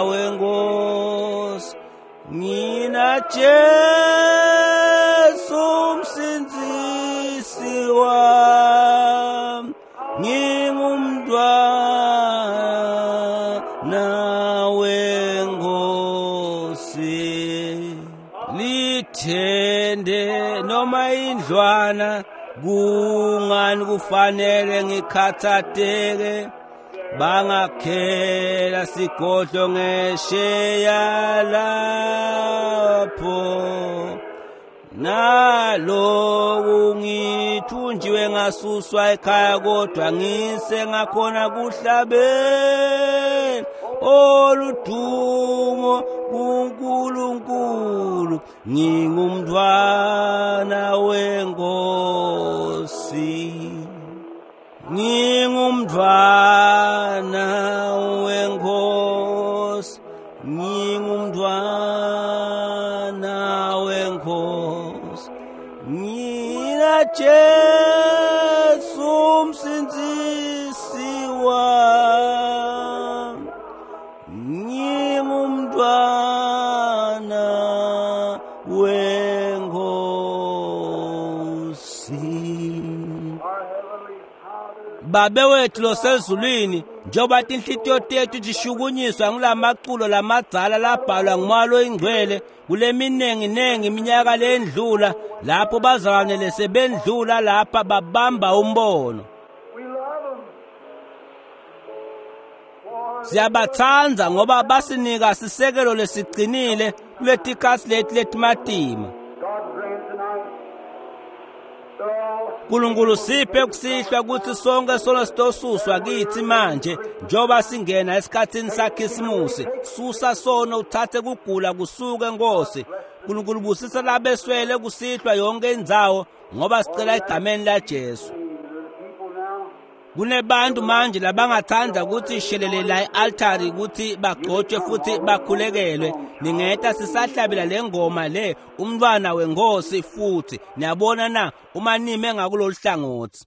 wenkosi, ngina Jesu umsindzisi wami, ngingumntwana wenkosi. Lithende noma indlwana, kungani kufanele ngikhathateke? Bangakhela sigodlo ngesheya lapho, naloku ngithunjiwe ngasuswa ekhaya, kodwa ngise ngakhona kuhlabela oludumo kuNkulunkulu. Ngingumntwana wenkosi, ngingumntwana wenkosi, ngingumntwana wenkosi. Ngina Jesu umsindzisi wami, ngingumntwana wenkosi. Our Heavenly Father, Babe wethu losezulwini, njengoba tinhlitiyo tethu tishukunyiswa ngulamaculo lamadzala labhalwa ngumoya loyingcwele kule minenginengi iminyaka lendlula, lapho bazalwane sebendlula lapha babamba umbono. we love them. For Siyabatsandza ngoba basinika sisekelo lesiqinile kuletikhatsi leti letimatima. God grant tonight that all Nkulunkulu siphe kusihlwa kutsi sonke sono sitosuswa kitsi manje njengoba singena esikhatsini sakhisimusi. Susa sono, uthathe kugula kusuke Nkosi. Nkulunkulu busisa labeswele kusihlwa yonke indzawo, ngoba sicela egameni la Jesu. the people now Kunebantu manje labangathanda ukuthi shelele la e-altari ukuthi bagcotshwe futhi bakhulekelwe. Ningeta sisahlabela le ngoma le, umntwana wenkosi futhi. Niyabona na, uma nime ngakulolu hlangothi.